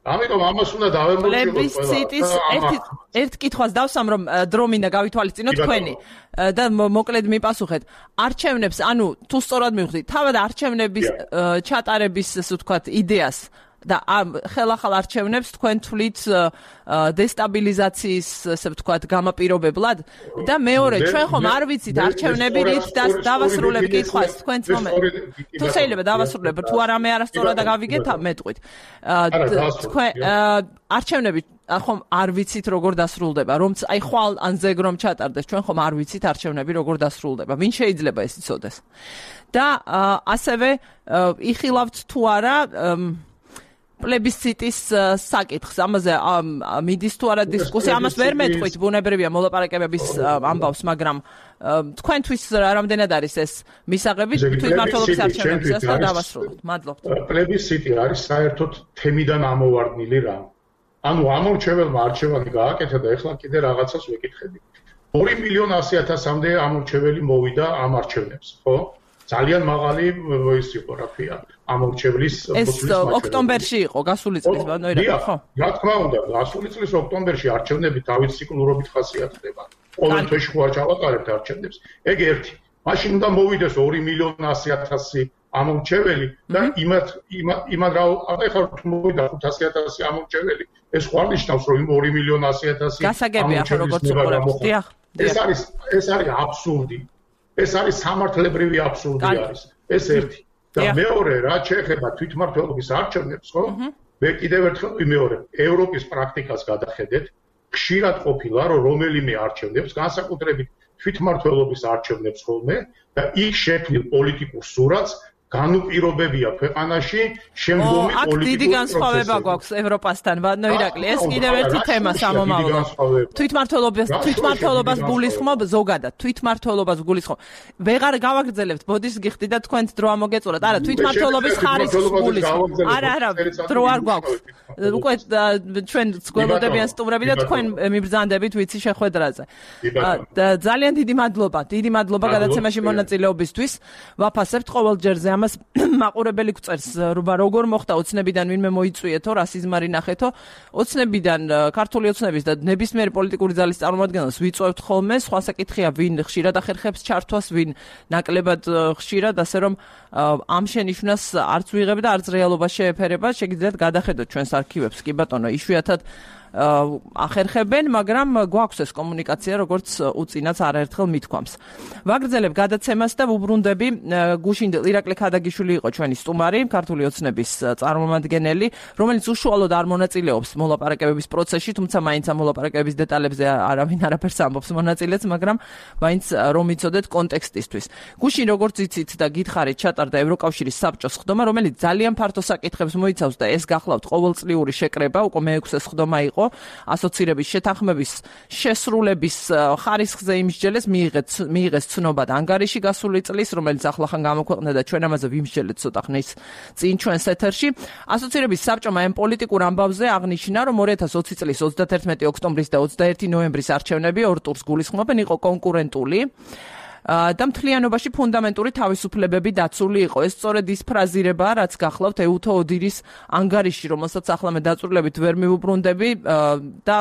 [SPEAKER 2] ამიტომ ამას უნდა დავემორჩილოთ ყველა.
[SPEAKER 1] პლებისციტის ერთი ერთ კითხვას დავსამ, რომ დრო მინდა გავითვალისწინოთ თქვენი და მოკლედ მიპასუხეთ. არჩევნებს, ანუ თუ სწორად მივხვდით, თავად არჩევნების ჩატარების, ასე ვთქვათ, იდეას და ხელახალ არჩევნებს თქვენ თვლით დესტაბილიზაციის, ასე ვთქვათ, გამაპირობებლად და მეორე, ჩვენ ხომ არ ვიცით არჩევნები რით დავასრულებთ კითხვას, თქვენც მომენტ. თუ შეიძლება დავასრულებ, თუ არამე არასწორად გავიგეთ, მეტყვით. თქვენ არჩევნები ხომ არ ვიცით როგორ დასრულდება, რომც აი ხვალ ან ზეგ რომ ჩატარდეს, ჩვენ ხომ არ ვიცით არჩევნები როგორ დასრულდება. ვინ შეიძლება ეს იცოდეს? და ასევე იხილავთ თუ არა პლებისციტის საკითხს, ამაზე მიდის თუ არა დისკუსია, ამას ვერ მეტყვით, ბუნებრივია მოლაპარაკებების ამბავს, მაგრამ თქვენთვის რამდენად არის ეს მისაღები თვითმმართველობის არჩევნებისას და დავასრულოთ. მადლობთ.
[SPEAKER 2] პლებისციტი არის საერთოდ თემიდან ამოვარდნილი რამ. ანუ ამორჩეველმა არჩევანი გააკეთა და ეხლა კიდე რაღაცას ვეკითხები. ორი მილიონი ასი ათასამდე ამორჩეველი მოვიდა ამ არჩევნებს, ხო? ძალიან მაღალი ის იყო, რა ქვია, ამორჩევლის
[SPEAKER 1] ეს ოქტომბერში იყო, გასული წლის, ბანო ირაკლი, ხო?
[SPEAKER 2] რა თქმა უნდა, გასული წლის ოქტომბერში არჩევნები თავის ციკლურობით ხასიათდება. ყოველ თვეში ხო არ ჩავატარებთ არჩევნებს. ეგ ერთი. მაშინ უნდა მოვიდეს ორი მილიონი ასი ათასი ამორჩეველი და იმათ იმათ რა ეხლა თუ მოვიდა ხუთასი ათასი ამორჩეველი, ეს ხო არ ნიშნავს, რომ იმ ორი მილიონი ასი ათასი
[SPEAKER 1] გასაგებია, როგორც უყურებთ. დიახ.
[SPEAKER 2] ეს არის ეს არის აბსურდი. ეს არის სამართლებრივი აბსურდი არის. ეს ერთი. და მეორე, რაც შეეხება თვითმმართველობის არჩევნებს, ხო? მე კიდევ ერთხელ ვიმეორებ, ევროპის პრაქტიკას გადახედეთ, ხშირად ყოფილა, რომ რომელიმე არჩევნებს, განსაკუთრებით თვითმმართველობის არჩევნებს ხოლმე და იქ შექმნილ პოლიტიკურ სურათს განუპირობებია ქვეყანაში შემდგომი პოლიტიკური პროცესები.
[SPEAKER 1] აქ დიდი განსხვავება გვაქვს ევროპასთან, ბატონო ირაკლი. ეს კიდევ ერთი თემა სამომავლო. თვითმმართველობას თვითმმართველობას გულისხმობ ზოგადად, თვითმმართველობას გულისხმობ. ვეღარ გავაგრძელებთ, ბოდის გიხდით და თქვენც დრო ამოგეწურათ. არა, თვითმმართველობის ხარისხს გულისხმობ. არა, არა, დრო არ გვაქვს. უკვე ჩვენ გველოდებიან სტუმრები და თქვენ მიბრძანდებით ვიცი შეხვედრაზე. ძალიან დიდი მადლობა, დიდი მადლობა გადაცემაში მონაწილეობისთვის. ვაფასებთ ყოველჯერზე ამას მაყურებელი გვწერს, როგორ მოხდა ოცნებიდან ვინმე მოიწვიეთო, რა სიზმარი ნახეთო. ოცნებიდან ქართული ოცნების და ნებისმიერი პოლიტიკური ძალის წარმომადგენლებს ვიწვევთ ხოლმე, სხვა საკითხია ვინ ხშირად ახერხებს ჩართვას, ვინ ნაკლებად ხშირად, ასე რომ ამ შენიშვნას არც ვიღებ და არც რეალობა შეეფერება, შეგიძლიათ გადახედოთ ჩვენს არქივებს, კი ბატონო, იშვიათად ახერხებენ, მაგრამ გვაქვს ეს კომუნიკაცია, როგორც უწინაც არაერთხელ მithქვამს. ვაგრძელებ გადაცემას და ვუბრუნდები გუშინდელ ირაკლი ქადაგიშვილი იყო ჩვენი სტუმარი, ქართული ოცნების წარმომადგენელი, რომელიც უშუალოდ არ მონაწილეობს მოლაპარაკებების პროცესში, თუმცა მაინც ამ მოლაპარაკებების დეტალებზე არავინ არაფერს ამბობს მონაწილეც, მაგრამ მაინც რომ იცოდეთ კონტექსტისთვის. გუშინ როგორც იცით და გითხარით, ჩატარდა ევროკავშირის საბჭოს ხდომა, რომელიც ძალიან ფართო საკითხებს მოიცავს და ეს გახლავთ ყოველწლიური შეკრება, უკვე მეექვსე ხდომა იყო ასოცირების შეთანხმების შესრულების ხარისხზე იმსჯელეს მიიღეს მიიღეს ცნობა და ანგარიში გასული წლის, რომელიც ახლახან გამოქვეყნდა და ჩვენ ამაზე ვიმსჯელეთ ცოტა ხნის წინ ჩვენს ეთერში. ასოცირების საბჭომა ამ პოლიტიკურ ამბავზე აღნიშნა, რომ ორი ათას ოცი წლის ოცდაათერთმეტი ოქტომბრის და ოცდაერთი ნოემბრის არჩევნები ორ ტურს გულისხმობენ, იყო კონკურენტული და მთლიანობაში ფუნდამენტური თავისუფლებები დაცული იყო. ეს სწორედ ის ფრაზირებაა, რაც გახლავთ ეუთო ოდირის ანგარიში, რომელსაც ახლა მე დაწვრილებით ვერ მივუბრუნდები და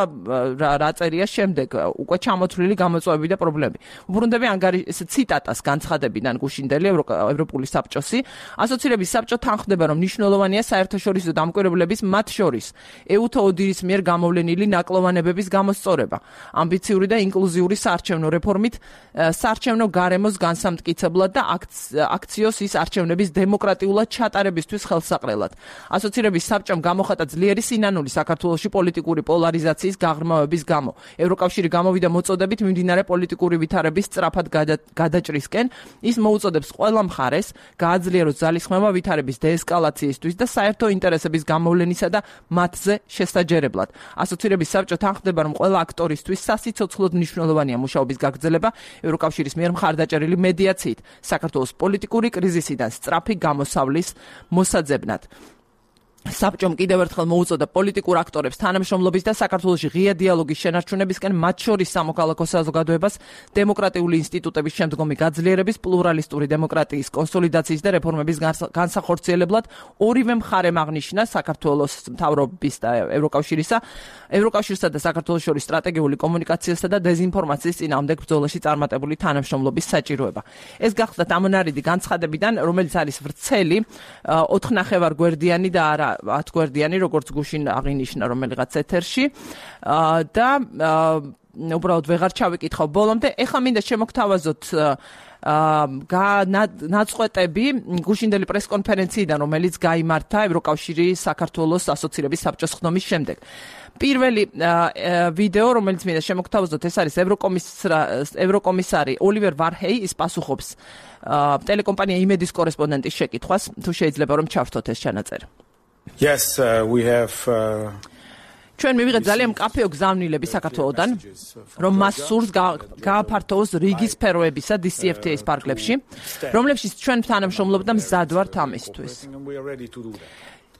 [SPEAKER 1] რა წერია შემდეგ, უკვე ჩამოთვლილი გამოწვევები და პრობლემები. უბრუნდები ანგარიშის ციტატას განცხადებიდან გუშინდელი ევროპული საბჭოსი. ასოცირების საბჭო თანხმდება, რომ მნიშვნელოვანია საერთაშორისო დამკვირვებლების, მათ შორის ეუთო ოდირის მიერ გამოვლენილი ნაკლოვანებების გამოსწორება. ამბიციური და ინკლუზიური საარჩევნო რეფორმით საარჩევნო გარემოს განსამტკიცებლად და აქციოს ის არჩევნების დემოკრატიულად ჩატარებისთვის ხელსაყრელად. ასოცირების საბჭომ გამოხატა ძლიერი სინანული საქართველოში პოლიტიკური პოლარიზაციის გაღრმავების გამო. ევროკავშირი გამოვიდა მოწოდებით მიმდინარე პოლიტიკური ვითარების სწრაფად გადაჭრისკენ. ის მოუწოდებს ყველა მხარეს გააძლიეროს ძალისხმევა ვითარების დეესკალაციისთვის და საერთო ინტერესების გამოვლენისა და მათზე შესაჯერებლად. ასოცირების საბჭო თანხმდება, რომ ყველა აქტორისთვის სასიცოცხლოდ მნიშვნელოვანია მუშაობის გაგრძელება ევროკავშირის მიერ მხარდაჭერილი მედიაციით საქართველოს პოლიტიკური კრიზისიდან სწრაფი გამოსავლის მოსაძებნად. საბჭომ კიდევ ერთხელ მოუწოდა პოლიტიკურ აქტორებს თანამშრომლობის და საქართველოში ღია დიალოგის შენარჩუნებისკენ, მათ შორის სამოქალაქო საზოგადოებას დემოკრატიული ინსტიტუტების შემდგომი გაძლიერების, პლურალისტური დემოკრატიის კონსოლიდაციის და რეფორმების განსახორციელებლად ორივე მხარემ აღნიშნა საქართველოს მთავრობის და ევროკავშირისა, ევროკავშირსა და საქართველოს შორის სტრატეგიული კომუნიკაციასა და დეზინფორმაციის წინააღმდეგ ბრძოლაში წარმატებული თანამშრომლობის საჭიროება. ეს გახლავთ ამონარიდი განცხადებიდან, რომელიც არის ვრცელი, ოთხნახევარ გვერდიანი და არა ათ გვერდიანი, როგორც გუშინ აღინიშნა რომელიღაც ეთერში და უბრალოდ ვეღარ ჩავიკითხავ ბოლომდე. ეხლა მინდა შემოგთავაზოთ ნაწყვეტები გუშინდელი პრესკონფერენციიდან, რომელიც გაიმართა ევროკავშირის საქართველოს ასოცირების საბჭოს ხდომის შემდეგ. პირველი ვიდეო, რომელიც მინდა შემოგთავაზოთ, ეს არის ევროკომისარი ოლივერ ვარჰეი, ის პასუხობს ტელეკომპანია იმედის კორესპონდენტის შეკითხვას, თუ შეიძლება რომ ჩავთოთ ეს ჩანაწერი.
[SPEAKER 3] Yes, uh, we have uh...
[SPEAKER 1] ჩვენ მივიღეთ ძალიან მკაფიო გზავნილები საქართველოდან, რომ მას სურს გააფართოვოს რიგი სფეროებისა დი სი ეფ თი ეის ფარგლებში, რომლებშიც ჩვენ თანამშრომლობთ და მზად ვართ ამისთვის.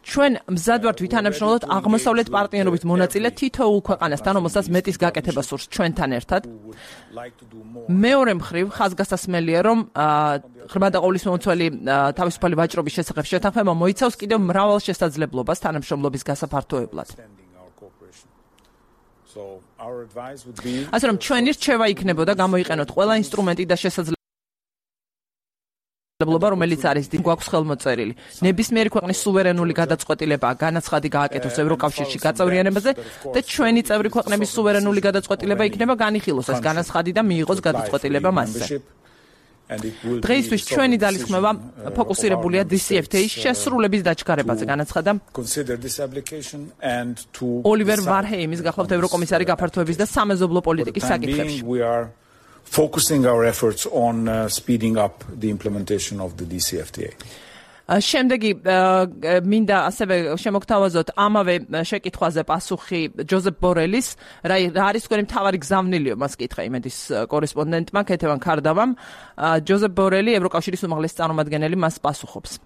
[SPEAKER 1] ჩვენ მზად ვართ ვითანამშრომლოთ აღმოსავლეთ პარტნიორობით მონაწილე თითოეულ ქვეყანასთან, რომელსაც მეტის გაკეთება სურს ჩვენთან ერთად. მეორე მხრივ, ხაზგასასმელია, რომ ღრმა და ყოვლისმომცველი თავისუფალი ვაჭრობის შესახებ შეთანხმება მოიცავს კიდევ მრავალ შესაძლებლობას თანამშრომლობის გასაფართოებლად. ასე რომ ჩვენი რჩევა იქნებოდა გამოიყენოთ ყველა ინსტრუმენტი და შესაძლებლობა, რომელიც არის დი გვაქვს ხელმოწერილი. ნებისმიერი ქვეყნის სუვერენული გადაწყვეტილება განაცხადი გააკეთოს ევროკავშირში გაწევრიანებაზე და ჩვენი წევრი ქვეყნების სუვერენული გადაწყვეტილება იქნება განიხილოს ეს განაცხადი და მიიღოს გადაწყვეტილება მასზე. დღეისთვის ჩვენი ძალისხმევა ფოკუსირებულია დი სი ეფ თი ეის შესრულების დაჩქარებაზე, განაცხადა ოლივერ ვარჰეიმის, გახლავთ ევროკომისარი გაფართოების და სამეზობლო პოლიტიკის საკითხებში.
[SPEAKER 3] Focusing our efforts on uh, speeding up the implementation of the დი სი ეფ თი ეი.
[SPEAKER 1] შემდეგი მინდა ასევე შემოგთავაზოთ ამავე შეკითხვაზე პასუხი ჯოზეფ ბორელის, რა არის თქვენი მთავარი გზავნილიო, მას კითხა იმედის კორესპონდენტმა ქეთევან ქარდავამ. ჯოზეფ ბორელი, ევროკავშირის უმაღლესი წარმომადგენელი, მას პასუხობს.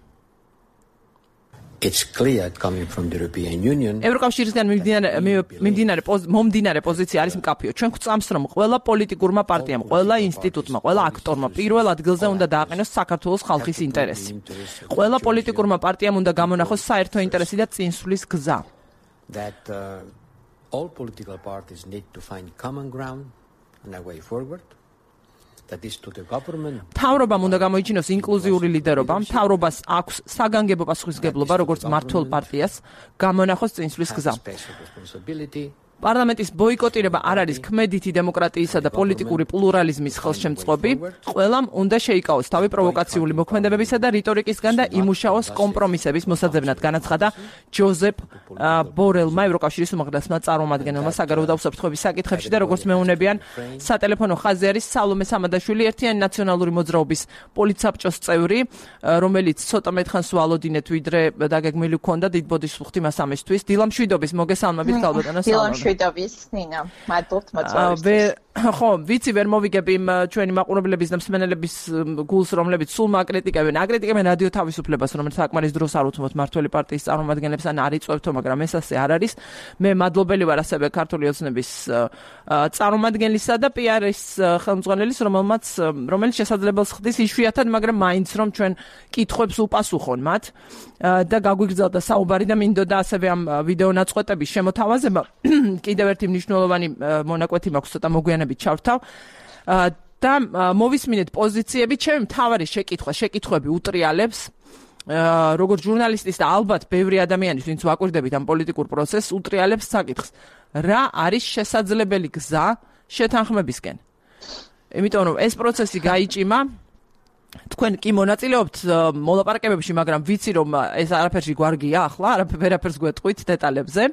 [SPEAKER 4] It's clear coming from the European Union.
[SPEAKER 1] ევროკავშირისგან მიმდინარე მომდინარე პოზიცია არის მკაფიო. ჩვენ გვწამს, რომ ყველა პოლიტიკურმა პარტიამ, ყველა ინსტიტუტმა, ყველა აქტორმა პირველ ადგილზე უნდა დააყენოს საქართველოს ხალხის ინტერესი. ყველა პოლიტიკურმა პარტიამ უნდა გამონახოს საერთო ინტერესი და წინსვლის გზა.
[SPEAKER 4] That uh, all political parties need to find common ground and a way forward.
[SPEAKER 1] მთავრობამ უნდა გამოიჩინოს ინკლუზიური ლიდერობა, მთავრობას აქვს საგანგებო პასუხისმგებლობა, როგორც მმართველ პარტიას, გამონახოს წინსვლის გზა. პარლამენტის ბოიკოტირება არ არის ქმედითი დემოკრატიისა და პოლიტიკური პლურალიზმის ხელშემწყობი. ყველამ უნდა შეიკავოს თავი პროვოკაციული მოქმედებებისა და რიტორიკისგან და იმუშაოს კომპრომისების მოსაძებნად, განაცხადა ჯოზეფ ბორელმა, ევროკავშირის უმაღლესმა წარმომადგენელმა საგარეო და უსაფრთხოების საკითხებში და როგორც მეუბნებიან, სატელეფონო ხაზზე არის სალომე სამადაშვილი, ერთიანი ნაციონალური მოძრაობის პოლიცსაბჭოს წევრი, რომელიც ცოტა მეტხანს ვალოდინეთ, ვიდრე დაგეგმილი ჰქონდა დიდ ბოდიშს მას ამისთვის. დილამშვიდობის მოგესალმებით, ქალბატონო სალომე.
[SPEAKER 5] მშვიდობის ნინა, მადლობთ მოწვევისთვის.
[SPEAKER 1] ხო, ვიცი ვერ მოვიგებ იმ ჩვენი მაყურებლების და მსმენელების გულს, რომლებიც სულ მაკრიტიკებენ, აკრიტიკებენ რადიო თავისუფლებას, რომელიც საკმარის დროს არ უთმოთ მმართველი პარტიის წარმომადგენლებს ან არ იწვევთო, მაგრამ ეს ასე არ არის. მე მადლობელი ვარ ასევე ქართული ოცნების წარმომადგენლისა და პი არ-ის ხელმძღვანელის, რომელმაც რომელიც შესაძლებელს ხდის იშვიათად, მაგრამ მაინც რომ ჩვენ კითხვებს უპასუხონ მათ და გაგვიგრძელდა საუბარი და მინდოდა ასევე ამ ვიდეო ნაწყვეტების შემოთავაზება. კიდევ ერთი მნიშვნელოვანი მონაკვეთი მაქვს, ცოტა მოგვიანებით ჩავთავ და მოვისმინეთ პოზიციები. ჩემი მთავარი შეკითხვა, შეკითხვები უტრიალებს როგორც ჟურნალისტის და ალბათ ბევრი ადამიანის, ვინც ვაკვირდებით ამ პოლიტიკურ პროცესს, უტრიალებს საკითხს, რა არის შესაძლებელი გზა შეთანხმებისკენ. იმიტომ რომ ეს პროცესი გაიჭიმა, თქვენ კი მონაწილეობთ მოლაპარაკებებში, მაგრამ ვიცი რომ ეს არაფერში გვარგია ახლა, არაფერს გვეტყვით დეტალებზე.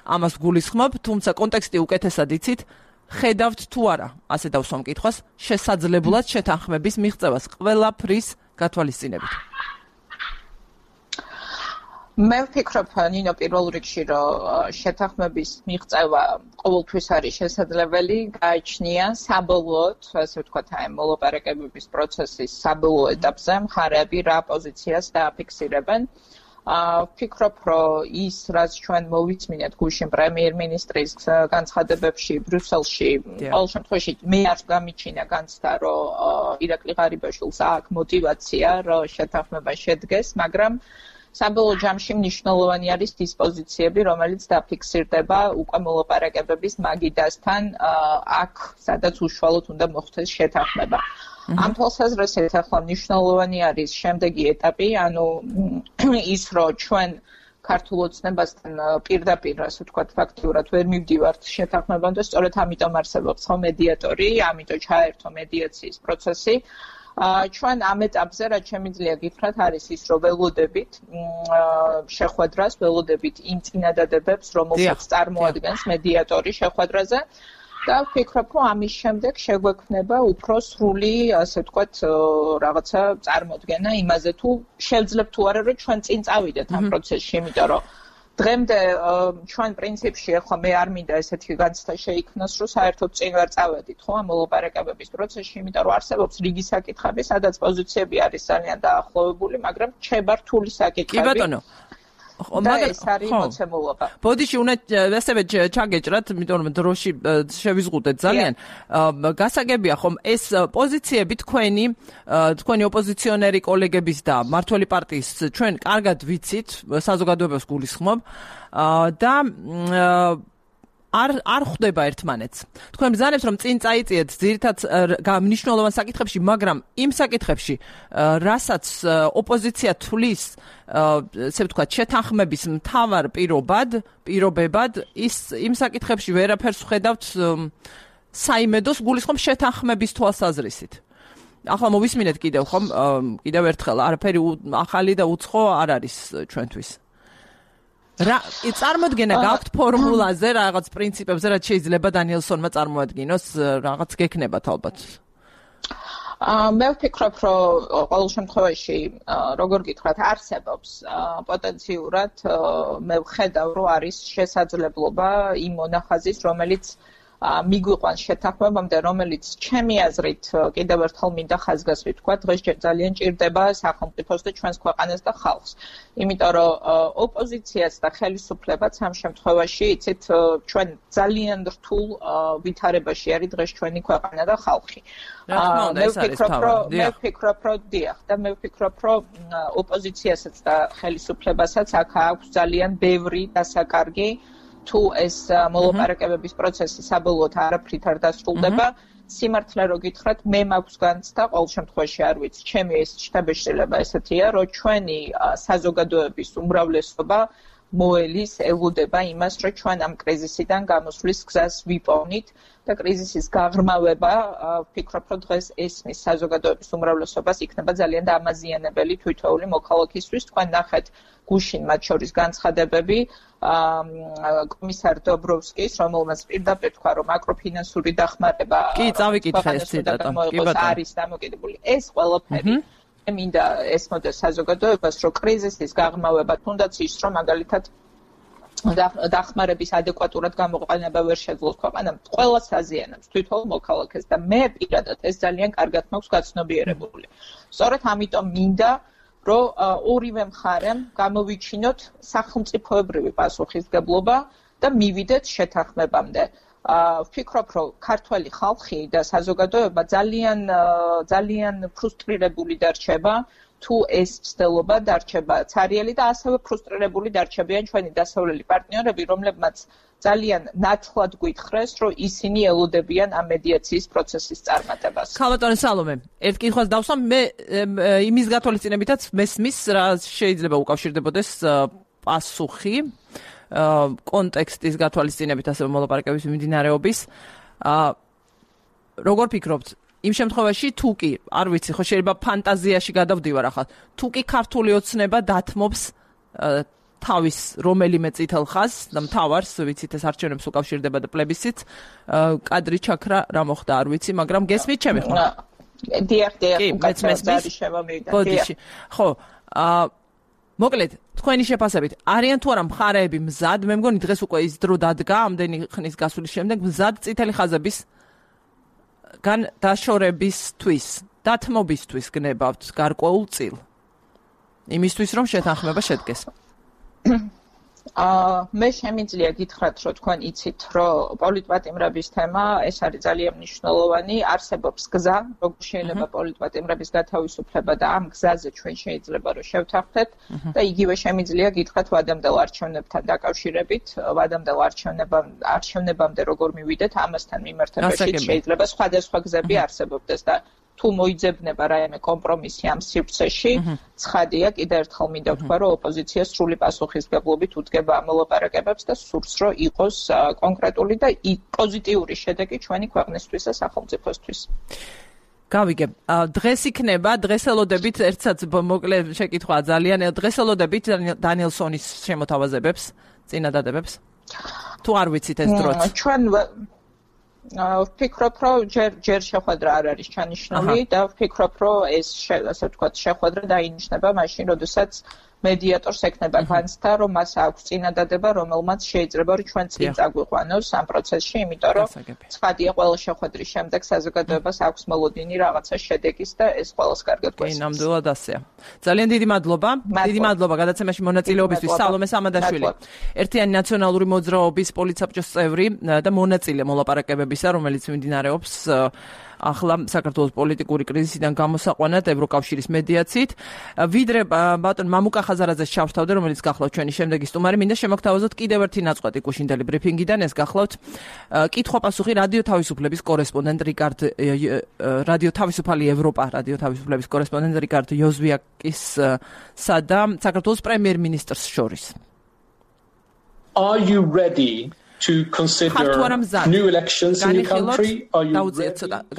[SPEAKER 1] ამას გულისხმობ, თუმცა კონტექსტი უკეთესად იცით, ხედავთ თუ არა, ასე დავსვამ კითხვას, შესაძლებლად შეთანხმების მიღწევას ყველაფრის გათვალისწინებით.
[SPEAKER 5] მე ვფიქრობ, ნინო, პირველ რიგში, რომ შეთანხმების მიღწევა ყოველთვის არის შესაძლებელი, გააჩნია საბოლოოდ, ასე ვთქვათ, აი მოლაპარაკებების პროცესის საბოლოო ეტაპზე მხარეები რა პოზიციას დააფიქსირებენ. ვფიქრობ, რომ ის, რაც ჩვენ მოვიწმინეთ გუშინ პრემიერ-მინისტრის განცხადებებში ბრიუსელში, ყოველ შემთხვევაში მე არ გამიჩინა განცდა, რომ ირაკლი ღარიბაშვილს აქვს мотиваცია, რომ შეთანხმება შედგეს, მაგრამ საბოლოო ჯამში მნიშვნელოვანი არის დისპოზიციები, რომელიც დაფიქსირდება უკვე მოლაპარაკებების მაგიდასთან, აქ სადაც უშუალოდ უნდა მოხდეს შეთანხმება. ამ თვალსაზრისით ახლა მნიშვნელოვანი არის შემდეგი ეტაპი, ანუ ის, რომ ჩვენ ქართულ ოცნებასთან პირდაპირ, ასე ვთქვათ, ფაქტიურად ვერ მივდივართ შეთანხმებამდე, სწორედ ამიტომ არსებობს ხო მედიატორი, ამიტომ ჩაერთო მედიაციის პროცესი. ჩვენ ამ ეტაპზე, რაც შემიძლია გითხრათ, არის ის, რომ ველოდებით შეხვედრას, ველოდებით იმ წინადადებებს, რომელსაც წარმოადგენს მედიატორი შეხვედრაზე. და ვფიქრობ, რომ ამის შემდეგ შეგვექმნება უფრო სრული, ასე ვთქვათ, რაღაცა წარმოდგენა იმაზე, თუ შევძლებთ თუ არა, რომ ჩვენ წინ წავიდეთ ამ პროცესში, იმიტომ რომ დღემდე ჩვენ პრინციპში ახლა მე არ მინდა ესეთი განცდა შეიქმნას, რომ საერთოდ წინ ვერ წავედით, ხო, ამ მოლაპარაკებების პროცესში, იმიტომ რომ არსებობს რიგი საკითხები, სადაც პოზიციები არის ძალიან დაახლოვებული, მაგრამ რჩება რთული საკითხები.
[SPEAKER 1] კი ბატონო.
[SPEAKER 5] და ეს არის მოცემულობა.
[SPEAKER 1] ბოდიში უნდა ასევე ჩაგეჭრათ, იმიტომ რომ დროში შევიზღუდეთ ძალიან. გასაგებია ხომ ეს პოზიციები თქვენი, თქვენი ოპოზიციონერი კოლეგების და მმართველი პარტიის ჩვენ კარგად ვიცით, საზოგადოებას გულისხმობ და არ არ ხვდება ერთმანეთს. თქვენ ბრძანებთ რომ წინ წაიწიეთ ძირითად მნიშვნელოვან საკითხებში, მაგრამ იმ საკითხებში, რასაც ოპოზიცია თulis, ესე ვთქვათ, შეთანხმების მთავარ პირობად, პირობებად, ის იმ საკითხებში ვერაფერს ხედავთ საიმედოს გულისხმობ შეთანხმების თვალსაზრისით. ახლა მოვისმინეთ კიდევ ხომ, კიდევ ერთხელ, არაფერი ახალი და უცხო არ არის ჩვენთვის. რა წარმოდგენა გაქვთ ფორმულაზე, რაღაც პრინციპებზე, რაც შეიძლება დანიელსონმა წარმოადგინოს, რაღაც გექნებათ ალბათ.
[SPEAKER 5] მე ვფიქრობ, რომ ყოველ შემთხვევაში როგორ გითხრათ, არსებობს პოტენციურად მე ვხედავ, რომ არის შესაძლებლობა იმ მონახაზის, რომელიც მიგვიყვანს შეთანხმებამდე, რომელიც ჩემი აზრით კიდევ ერთხელ მინდა ხაზგასვით თქვა, დღეს ძალიან ჭირდება სახელმწიფოს და ჩვენს ქვეყანას და ხალხს. იმიტომ რომ ოპოზიციაც და ხელისუფლებაც ამ შემთხვევაში, იცით, ჩვენ ძალიან რთულ ვითარებაში არის დღეს ჩვენი ქვეყანა და ხალხი. მე ვფიქრობ, რომ მე ვფიქრობ, რომ დიახ, და მე ვფიქრობ, რომ ოპოზიციასაც და ხელისუფლებასაც აქ აქვს ძალიან ბევრი დასაკარგი. თუ ეს მოლაპარაკებების პროცესი საბოლოოდ არაფრით არ დასრულდება, სიმართლე რო გითხრათ, მე მაქვს განცდა, ყოველ შემთხვევაში არ ვიცი, ჩემი ეს შთაბეჭდილება ესეთია, რომ ჩვენი საზოგადოების უმრავლესობა მოელის ელოდება იმას, რომ ჩვენ ამ კრიზისიდან გამოსვლის გზას ვიპოვნით და კრიზისის გაღრმავება, ვფიქრობ, რომ დღეს ესმის საზოგადოების უმრავლესობას იქნება ძალიან დამაზიანებელი თვითეული მოქალაქისთვის. თქვენ ნახეთ გუშინ მათ შორის განცხადებები კომისარ დობროვსკის, რომელმაც პირდაპირ თქვა, რომ მაკროფინანსური დახმარება
[SPEAKER 1] კი, წავიკითხე ეს ციტატა. კი ბატონო.
[SPEAKER 5] არის დამოკიდებული. ეს ყველაფერი მინდა ესმოდეს საზოგადოებას, რომ კრიზისის გაღრმავება თუნდაც ის, რომ მაგალითად დახმარების ადეკვატურად გამოყენება ვერ შეძლოს ქვეყანამ, ყველას აზიანებს თვითონ მოქალაქეს და მე პირადად ეს ძალიან კარგად მაქვს გაცნობიერებული. სწორედ ამიტომ მინდა რომ ორივე მხარემ გამოვიჩინოთ სახელმწიფოებრივი პასუხისგებლობა და მივიდეთ შეთანხმებამდე. ვფიქრობ, რომ ქართველი ხალხი და საზოგადოება ძალიან ძალიან ფრუსტრირებული დარჩება, თუ ეს ცდელობა დარჩება ცარიელი და ასევე ფრუსტრირებული დარჩებიან ჩვენი დასავლელი პარტნიორები, რომლებმაც ძალიან ნათლად გვითხრეს, რომ ისინი ელოდებიან ამ მედიაციის პროცესის წარმატებას.
[SPEAKER 1] ქალბატონო სალომე, ერთ კითხვას დავსვამ, მე იმის გათვალისწინებითაც მესმის, რა შეიძლება უკავშირდებოდეს პასუხი კონტექსტის გათვალისწინებით, ასევე მოლაპარაკების მიმდინარეობის. როგორ ფიქრობთ, იმ შემთხვევაში თუ კი, არ ვიცი, ხო შეიძლება ფანტაზიაში გადავდივარ ახლა, თუ კი ქართული ოცნება დათმობს თავის რომელიმე წითელ ხაზს და მთავარს, ვიცით, ეს არჩევნებს უკავშირდება და პლებისციტს, კადრი ჩაქრა რა მოხდა, არ ვიცი, მაგრამ გესმით ჩემი ხმა?
[SPEAKER 5] დიახ, დიახ, უკაცრავად შემოვიდა.
[SPEAKER 1] ბოდიში. ხო, აა მოკლედ, თქვენი შეფასებით, არიან თუ არა მხარეები მზად, მე მგონი დღეს უკვე ის დრო დადგა, ამდენი ხნის გასვლის შემდეგ მზად წითელი ხაზების გან დაშორებისთვის, დათმობისთვის გნებავთ გარკვეულ წილ. იმისთვის, რომ შეთანხმება შედგეს.
[SPEAKER 5] აა მე შემიძლია გითხრათ, რომ თქვენ იცით, რომ პოლიტპატიმრების თემა ეს არის ძალიან მნიშვნელოვანი, არსებობს გზა, როგორ შეიძლება პოლიტპატიმრების გათავისუფლება და ამ გზაზე ჩვენ შეიძლება რომ შევთანხმდეთ და იგივე შემიძლია გითხრათ ვადამდელ არჩევნებთან დაკავშირებით, ვადამდელ არჩევნებამ არჩევნებამდე როგორ მივიდეთ, ამასთან მიმართებაში შეიძლება სხვადასხვა გზები არსებობდეს და თუ მოიძებნება რაიმე კომპრომისი ამ სივრცეში, ცხადია, კიდევ ერთხელ მინდა ვთქვა, რომ ოპოზიცია სრული პასუხისგებლობით უდგება ამ მოლაპარაკებებს და სურს, რომ იყოს კონკრეტული და პოზიტიური შედეგი ჩვენი ქვეყნისთვის და სახელმწიფოსთვის.
[SPEAKER 1] გავიგებ. დღეს იქნება, დღესელოდებით ერთსაც მოკლე შეკითხვა ძალიან, დღესელოდებით დანიელსონის შემოთავაზებებს, წინადადებებს. თუ არ ვიცით ეს დროც.
[SPEAKER 5] ჩვენ ვფიქრობ, რომ ჯერ ჯერ შეხვედრა არ არის ჩანიშნული და ვფიქრობ, რომ ეს ასე ვთქვათ, შეხვედრა დაინიშნება მაშინ, როდესაც მედიატორს ექნება განცდა, რომ მას აქვს წინადადება, რომელმაც შეიძლება რომ ჩვენ წინ წაგვიყვანოს ამ პროცესში, იმიტომ რომ ცხადია, ყველა შეხვედრის შემდეგ საზოგადოებას აქვს მოლოდინი რაღაცა შედეგის და ეს ყველას კარგად გვესმის.
[SPEAKER 1] კი, ნამდვილად ასეა. ძალიან დიდი მადლობა. დიდი მადლობა გადაცემაში მონაწილეობისთვის სალომე სამადაშვილი. ერთიანი ნაციონალური მოძრაობის პოლიტსაბჭოს წევრი და მონაწილე მოლაპარაკებებისა, რომელიც მიმდინარეობს ახლა საქართველოს პოლიტიკური კრიზისიდან გამოსაყვანად ევროკავშირის მედიაციით. ვიდრე ბატონ მამუკა ხაზარაძეს ჩავშთავდე, რომელიც გახლავთ ჩვენი შემდეგი სტუმარი, მინდა შემოგთავაზოთ კიდევ ერთი ნაწყვეტი კუშინდელი ბრიფინგიდან, ეს გახლავთ კითხვა-პასუხი რადიო თავისუფლების კორესპონდენტ რიკარდ რადიო თავისუფალი ევროპა, რადიო თავისუფლების კორესპონდენტ რიკარდ იოზვიაკისა და საქართველოს პრემიერ-მინისტრს შორის.
[SPEAKER 6] Are you ready to consider new elections in the country? Are you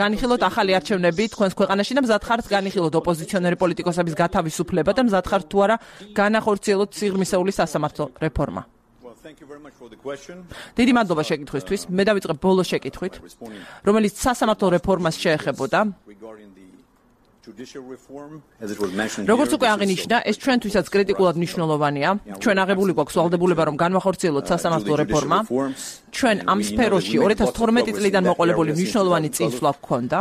[SPEAKER 1] განიხილოთ ახალი არჩევნები თქვენს ქვეყანაში და მზად ხართ განიხილოთ ოპოზიციონერი პოლიტიკოსების გათავისუფლება და მზად ხართ თუ არა განახორციელოთ სიღრმისეული სასამართლო რეფორმა? დიდი მადლობა შეკითხვისთვის. მე დავიწყებ ბოლო შეკითხვით, რომელიც სასამართლო რეფორმას შეეხებოდა. როგორც უკვე აღინიშნა, ეს ჩვენთვისაც კრიტიკულად მნიშვნელოვანია. ჩვენ აღებული გვაქვს ვალდებულება, რომ განვახორციელოთ სასამართლო რეფორმა. ჩვენ ამ სფეროში ორი ათას თორმეტი წლიდან მოყოლებული მნიშვნელოვანი წინსვლა გვქონდა.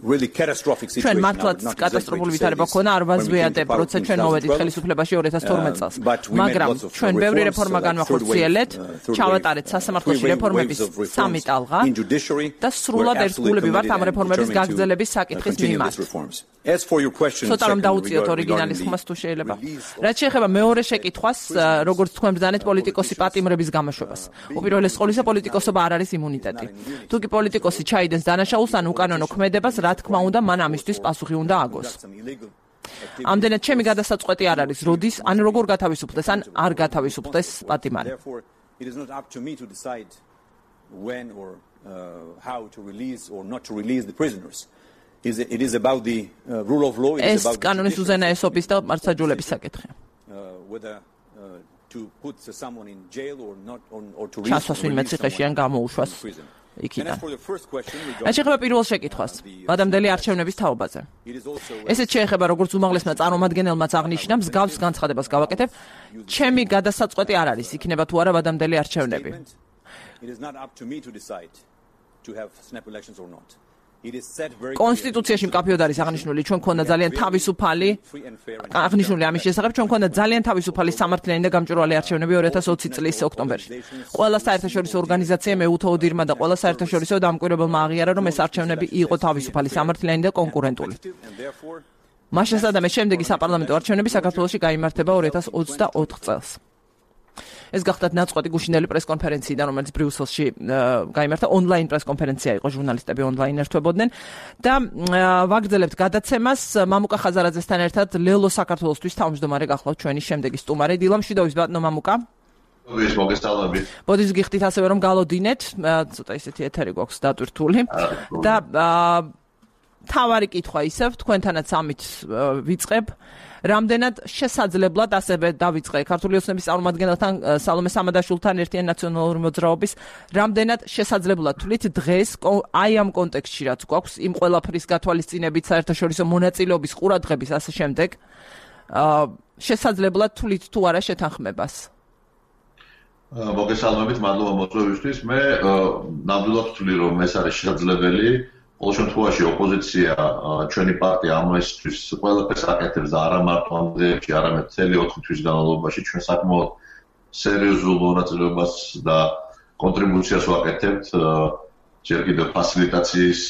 [SPEAKER 7] really catastrophic situation.
[SPEAKER 1] ჩვენ მართლაც კატასტროფული ვითარება ქონა არ ვაზვიადებ, როცა ჩვენ მოვედით ხელისუფლებაში ორი ათას თორმეტ წელს. მაგრამ ჩვენ ბევრი რეფორმა განვახორციელეთ, ჩავატარეთ სასამართლოში რეფორმების სამი ტალღა და სრულად ერთგულები ვართ ამ რეფორმების გაგრძელების საკითხის მიმართ.
[SPEAKER 7] As for your question,
[SPEAKER 1] ცოტა რომ დაუწიოთ ორიგინალის ხმას თუ შეიძლება. რაც შეეხება მეორე შეკითხვას, როგორც თქვენ ბრძანეთ პოლიტიკოსი პატიმრების გამოშვებას. უპირველეს ყოვლისა პოლიტიკოსობა არ არის იმუნიტეტი. თუ კი პოლიტიკოსი ჩაიდენს დანაშაულს ან უკანონო ქმედებას, რა თქმა უნდა, მან ამისთვის პასუხი უნდა აგოს. ამდენად ჩემი გადასაწყვეტი არ არის, როდის ან როგორ გათავისუფლდეს ან არ გათავისუფლდეს პატიმარი.
[SPEAKER 7] It is not up to me to decide when or uh, how to release or not to release the prisoners. Is it is about the uh, rule of law.
[SPEAKER 1] It is about კანონის უზენაესობის და მართლმსაჯულების საკითხია.
[SPEAKER 7] Whether uh, to put someone in jail or not or, or to
[SPEAKER 1] ჩასვას ვინმე ციხეში ან გამოუშვას იქიდან. ეს შეეხება პირველ შეკითხვას, ვადამდელი არჩევნების თაობაზე. ესეც შეეხება როგორც უმაღლესმა წარმომადგენელმაც აღნიშნა, მსგავს განცხადებას გავაკეთებ, ჩემი გადასაწყვეტი არ არის, იქნება თუ არა ვადამდელი არჩევნები.
[SPEAKER 7] It is not up to me to decide to have snap elections or not.
[SPEAKER 1] კონსტიტუციაში მკაფიოდ არის აღნიშნული, ჩვენ ქონდა ძალიან თავისუფალი აღნიშნული ამის შესახებ, ჩვენ ქონდა ძალიან თავისუფალი სამართლიანი და გამჭვირვალე არჩევნები ორი ათას ოცი წლის ოქტომბერში. ყველა საერთაშორისო ორგანიზაციამ ეუთოოდირმა და ყველა საერთაშორისო დამკვირვებელმა აღიარა, რომ ეს არჩევნები იყო თავისუფალი, სამართლიანი და კონკურენტული. მაშასადამე შემდეგი საპარლამენტო არჩევნები საქართველოში გაიმართება ორი ათას ოცდაოთხ წელს. ეს გახდათ ნაწყვეტი გუშინდელი პრესკონფერენციიდან, რომელიც ბრიუსელში გაიმართა, ონლაინ პრესკონფერენცია იყო, ჟურნალისტები ონლაინ ერთვებოდნენ და ვაგრძელებთ გადაცემას მამუკა ხაზარაძესთან ერთად ლელო საქართველოსთვის თავმჯდომარე გახლავთ ჩვენი შემდეგი სტუმარი. დილა მშვიდობის ბატონო მამუკა.
[SPEAKER 8] მოგესალმებით, მოგესალმებით.
[SPEAKER 1] ბოდის გიხდით ასევე რომ გალოდინეთ, ცოტა ისეთი ეთერი გვაქვს დატვირთული და თავარი კითხვა ისევ თქვენთანაც ამით ვიწყებ. რამდენად შესაძლებლად ასევე დავიწყე ქართული ოცნების წარმომადგენელთან სალომე სამადაშვილთან ერთიან ნაციონალური მოძრაობის რამდენად შესაძლებლად თვლით დღეს აი ამ კონტექსტში რაც გვაქვს იმ ყველაფრის გათვალისწინებით საერთაშორისო მონაწილეობის ყურადღების ასე შემდეგ შესაძლებლად თვლით თუ არა შეთანხმებას.
[SPEAKER 8] მოგესალმებით, მადლობა მოწვევისთვის. მე ნამდვილად ვთვლი რომ ეს არის შესაძლებელი. ყოველ შემთხვევაში ოპოზიცია ჩვენი პარტია ამისთვის ყველაფერს აკეთებს და არა მარტო ამ დღეებში, არამედ მთელი ოთხი თვის განმავლობაში ჩვენ საკმაოდ სერიოზულ მონაწილეობას და კონტრიბუციას ვაკეთებთ. ჯერ კიდევ ფასილიტაციის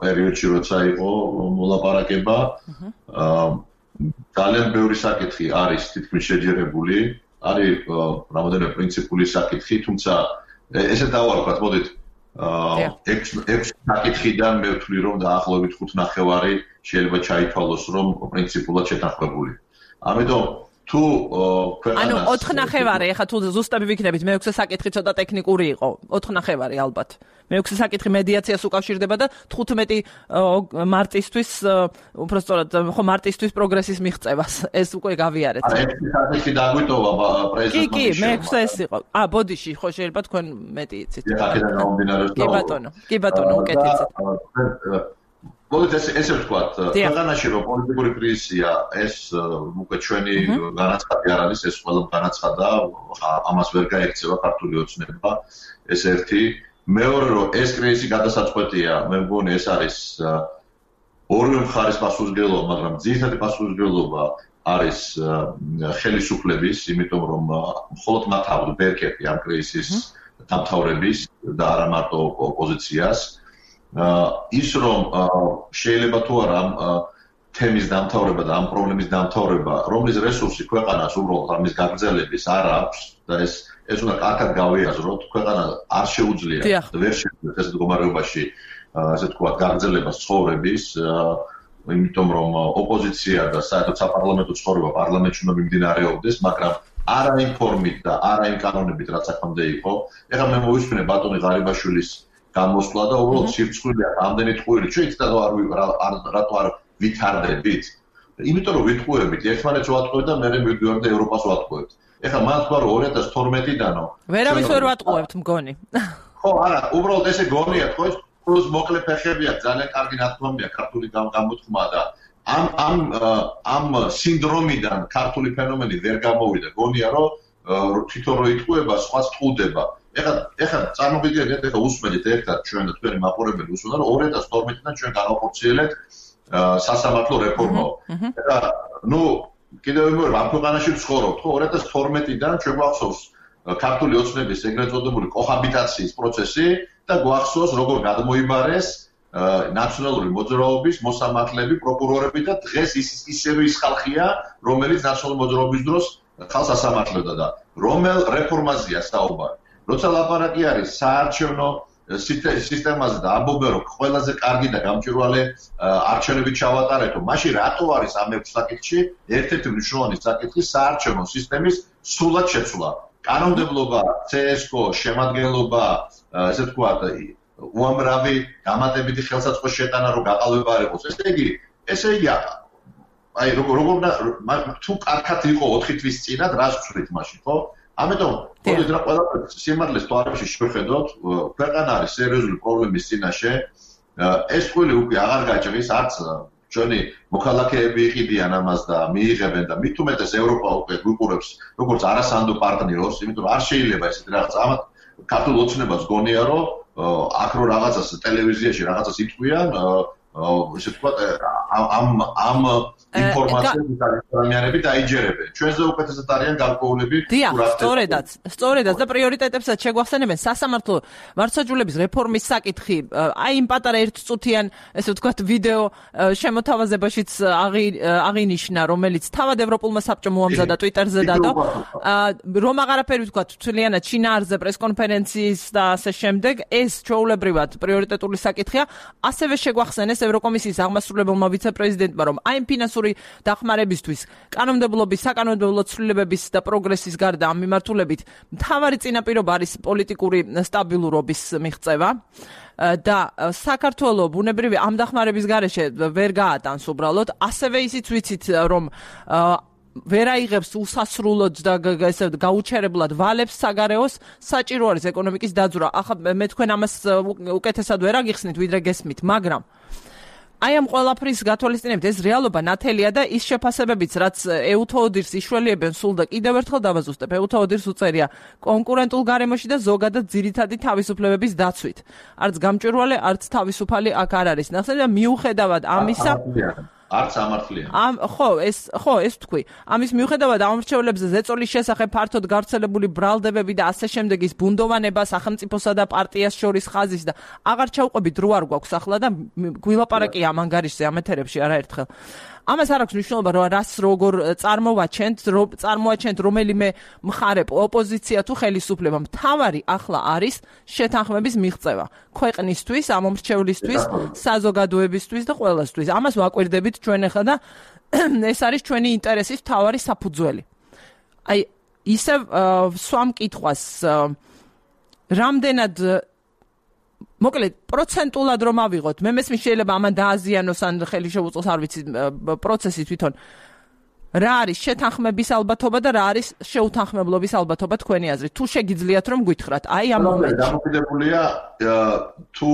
[SPEAKER 8] პერიოდში როცა იყო მოლაპარაკება, ძალიან ბევრი საკითხი არის თითქმის შეჯერებული, არის რამოდენიმე პრინციპული საკითხი, თუმცა ესე დავარქვათ, მოდით ექვს საკითხიდან მე ვთვლი რომ დაახლოებით ხუთ ნახევარი შეიძლება ჩაითვალოს რომ პრინციპულად შეთანხმებული. ამიტომ თუ ქვეყანას
[SPEAKER 1] ანუ ოთხ ნახევარი, ეხლა თუ ზუსტები ვიქნებით, მეექვსე საკითხი ცოტა ტექნიკური იყო. ოთხ ნახევარი ალბათ. მეექვსე საკითხი მედიაციას უკავშირდება და თხუთმეტი მარტისთვის, უბრალოდ ხო მარტისთვის პროგრესის მიღწევას. ეს უკვე გავიარეთ.
[SPEAKER 8] ექვსი საკითხი დაგვიტოვა პრეზიდენტმა.
[SPEAKER 1] კი, კი, მეექვსე ეს იყო. ა, ბოდიში, ხო შეიძლება თქვენ მეტი იცით. კი ბატონო, კი ბატონო, უკეთესად. მოდით ეს ესე ვთქვათ, ქვეყანაში რომ პოლიტიკური კრიზისია, ეს უკვე ჩვენი განაცხადი არ არის, ეს ყველა განაცხადა, ამას ვერ გაექცევა ქართული ოცნება, ეს ერთი. მეორე რომ ეს კრიზისი გადასაწყვეტია, მე მგონი ეს არის ორივე მხარის პასუხისმგებლობა, მაგრამ ძირითადი პასუხისმგებლობა არის ხელისუფლების, იმიტომ რომ მხოლოდ მათ აქვს ბერკეტი ამ კრიზისის დამთავრების და არა მარტო ოპოზიციას. ის რომ შეიძლება თუ არა ამ თემის დამთავრება და ამ პრობლემის დამთავრება, რომლის რესურსი ქვეყანას უბრალოდ ამის გაგრძელების არ აქვს და ეს ეს უნდა კარგად გავიაზროთ, ქვეყანა არ შეუძლია და ვერ შეუძლია ეს მდგომარეობაში ასე თქვათ გაგრძელებას ცხოვრების, იმიტომ რომ ოპოზიცია და საერთოდ საპარლამენტო ცხოვრება პარლამენტში უნდა მიმდინარეობდეს, მაგრამ არა იმ ფორმით და არა იმ კანონებით, რაც აქამდე იყო. ეხლა მე მოვისმინე ბატონი ღარიბაშვილის გამოსვლა და უბრალოდ სირცხვილია ამდენი ტყუილი. ჩვენ იცით რატო არ ვითარდებით? იმიტომ რომ ვიტყუებით, ერთმანეთს ვატყუებთ და მერე მივდივართ და ევროპას ვატყუებთ. ეხლა მან თქვა რომ ორი ათას თორმეტიდანო ვერავის ვერ ვატყუებთ მგონი.
[SPEAKER 8] ხო, არა, უბრალოდ ესე გონია, თქო, პლუს მოკლე ფეხებია, ძალიან კარგი ნათქვამია ქართული გამოთქმა და ამ ამ ამ სინდრომიდან ქართული ფენომენი ვერ გამოვიდა. გონია რომ თვითონ რო იტყუება, სხვა სტყუდება. ეხლა ეხლა წარმოგიდგენთ, ეხლა usmedit ერთად ჩვენ და თქვენი მაყურებელი უსმენთ რომ ორი ათას თორმეტიდან ჩვენ გავახორციელებთ სასამართლო რეფორმა. ეხლა ნუ კიდევ მეორე ამ ქვეყანაში ვცხოვრობთ, ხო? ორი ათას თორმეტიდან ჩვენ გვახსოვს ქართული ოცნების ეგრეთ წოდებული კოჰაბიტაციის პროცესი და გვახსოვს როგორ გადმოიბარეს ნაციონალური მოძრაობის მოსამართლეები, პროკურორები და დღეს ის ისევე ის ხალხია, რომელიც ნაციონალური მოძრაობის დროს ხალხს ასამართლებდა და რომელ რეფორმაზეა საუბარი. როცა ლაპარაკი არის საარჩევნო სისტემაზე და ამბობენ რომ ყველაზე კარგი და გამჭვირვალე არჩევნები ჩავატარეთო, მაშინ რატო არის ამ ერთ საკითხში ერთ-ერთი მნიშვნელოვანი საკითხი საარჩევნო სისტემის სრულად შეცვლა? კანონმდებლობა, C S K O, შემადგენლობა, ესე ვთქვათ, უამრავი გამატებითი ხელსაწყო შეტანა რომ გაყალბება არ იყოს. ესე იგი, ესე იგი აი როგორ როგორ თუ კარგად იყო ოთხი თვის წინათ რას ვცვლით მაშინ, ხო? ამიტომ მოდით რა ყველაფერს სიმართლეს თვალებში შევხედოთ, ქვეყანა არის სერიოზული პრობლემის წინაშე. ეს ყველი უკვე აღარ გაჭრის, არც ჩვენი მოქალაქეები იყიდიან ამას და მიიღებენ და მით უმეტეს ევროპა უკვე გვიყურებს როგორც არასანდო პარტნიორს, იმიტომ რომ არ შეიძლება ესეთი რაღაც ამათ ქართულ ოცნებას გონია რომ აქ რო რაღაცას ტელევიზიაში რაღაცას იტყვიან, ესე ვთქვათ, ამ ამ ინფორმაციების ადამიანები დაიჯერებენ. ჩვენზე უკეთესად არიან გარკვეულები.
[SPEAKER 1] დიახ, სწორედაც, სწორედაც და პრიორიტეტებსაც შეგვახსენებენ სასამართლო მართლმსაჯულების რეფორმის საკითხი. აი იმ პატარა ერთწუთიან, ესე ვთქვათ, ვიდეო შემოთავაზებაშიც აღინიშნა, რომელიც თავად ევროპულმა საბჭომ უამზადა Twitter-ზე დადო. რომ აღარაფერი ვთქვათ, თვლიანად შინაარსზე პრესკონფერენციის და ასე შემდეგ, ეს ჩვეულებრივად პრიორიტეტული საკითხია. ასევე შეგვახსენეს ევროკომისიის აღმასრულებელმა ვიცე-პრეზიდენტმა, რომ აი ფინანსური დახმარებისთვის, კანონმდებლობის, საკანონმდებლო ცვლილებების და პროგრესის გარდა ამ მიმართულებით მთავარი წინაპირობა არის პოლიტიკური სტაბილურობის მიღწევა და საქართველოს ბუნებრივი ამ დახმარების გარეშე ვერ გაატანს უბრალოდ. ასევე ისიც ვიცით, რომ ვერ აიღებს უსასრულოდ და ესე გაუჩერებლად ვალებს საგარეოს, საჭირო არის ეკონომიკის დაძვრა. ახლა მე თქვენ ამას უკეთესად ვერ აგიხსნით, ვიდრე გესმით, მაგრამ აი ამ ყველაფრის გათვალისწინებით ეს რეალობა ნათელია და ის შეფასებებიც, რაც ეუთოოდირს იშველიებენ სულ და კიდევ ერთხელ დავაზუსტებ, ეუთოოდირს უწერია კონკურენტულ გარემოში და ზოგადად ძირითადი თავისუფლებების დაცვით. არც გამჭვირვალე, არც თავისუფალი აქ არ არის. ნახეთ და მიუხედავად ამისა
[SPEAKER 8] არც ამართლიან.
[SPEAKER 1] ამ ხო, ეს ხო, ეს თქვი. ამის მიუხედავად ამორჩევლებზე ზეწოლის შესახებ ფართოდ გავრცელებული ბრალდებები და ასე შემდეგ ის ბუნდოვანება სახელმწიფოსა და პარტიას შორის ხაზის და აღარ ჩავყვებით რო არ გვაქვს ახლა და გვილაპარაკია ამ ანგარიშზე ამ ეთერებში არაერთხელ. ამას არ აქვს მნიშვნელობა, რომ რას როგორ წარმოვაჩენთ, რომ წარმოაჩენთ რომელიმე მხარე ოპოზიცია თუ ხელისუფლება. მთავარი ახლა არის შეთანხმების მიღწევა ქვეყნისთვის, ამომრჩევლისთვის, საზოგადოებისთვის და ყველასთვის. ამას ვაკვირდებით ჩვენ ახლა და ეს არის ჩვენი ინტერესის მთავარი საფუძველი. აი ისევ სვამ კითხვას რამდენად მოკლედ პროცენტულად რომ ავიღოთ, მე მესმის შეიძლება ამან დააზიანოს ან ხელი შეუწყოს, არ ვიცი, პროცესი თვითონ. რა არის შეთანხმების ალბათობა და რა არის შეუთანხმებლობის ალბათობა თქვენი აზრით? თუ შეგიძლიათ რომ გვითხრათ, აი ამ მომენტში.
[SPEAKER 8] დამოკიდებულია თუ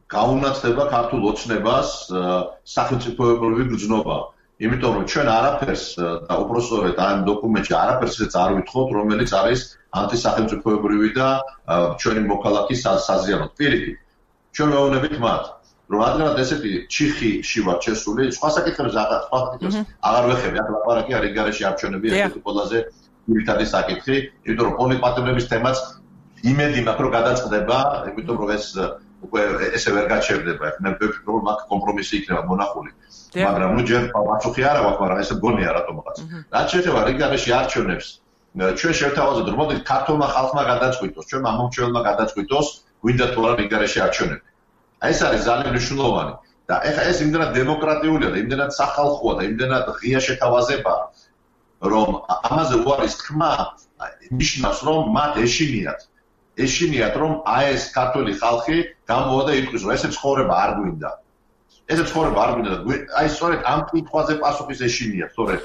[SPEAKER 8] გაუნაცდება ქართულ ოცნებას სახელმწიფოებრივი გრძნობა. იმიტომ რომ ჩვენ არაფერს და უпростоრეთ ამ დოკუმენტში არაფერს არ ვითხოვთ, რომელიც არის ანტისახელმწიფოებრივი და ჩვენი მოქალაქის საზიანოდ. პირიქით, ჩვენ ვეუბნებით მათ, რომ ადრე ესეთი ჩიხიში ვარ შესული, სხვა საკითხებს აღარ სხვა საკითხებს აღარ ვეხები, ახლა ლაპარაკი არის გარეშე არჩევნები, ერთ-ერთი ყველაზე ძირითადი საკითხი, იმიტომ რომ პოლიტპატიმრების თემაც იმედი მაქვს რომ გადაწყდება, იმიტომ რომ ეს უკვე ესე ვერ გაჩერდება. მე ვფიქრობ რომ აქ კომპრომისი იქნება მონახული. მაგრამ ნუ ჯერ პასუხი არ აქვს, მაგრამ ესე გონია რატომღაც. რაც შეეხება რიგარეში არჩევნებს, ჩვენ შევთავაზოთ, რომ მოდი ქართულმა ხალხმა გადაწყვიტოს, ჩვენ ამომრჩეველმა გადაწყვიტოს, გვინდა თუ არა რიგარეში არჩევნები. აი ეს არის ძალიან მნიშვნელოვანი და ეხლა ეს იმდენად დემოკრატიულია და იმდენად სახალხოა და იმდენად ღია შეთავაზებაა, რომ ამაზე უარის თქმა ნიშნავს, რომ მათ ეშინიათ ეშინიათ რომ აი ეს ქართული ხალხი გამოვა და იტყვის, რომ ესე ცხოვრება არ გვინდა. ესე ცხოვრება არ გვინდა და აი სწორედ ამ კითხვაზე პასუხის ეშინიათ, სწორედ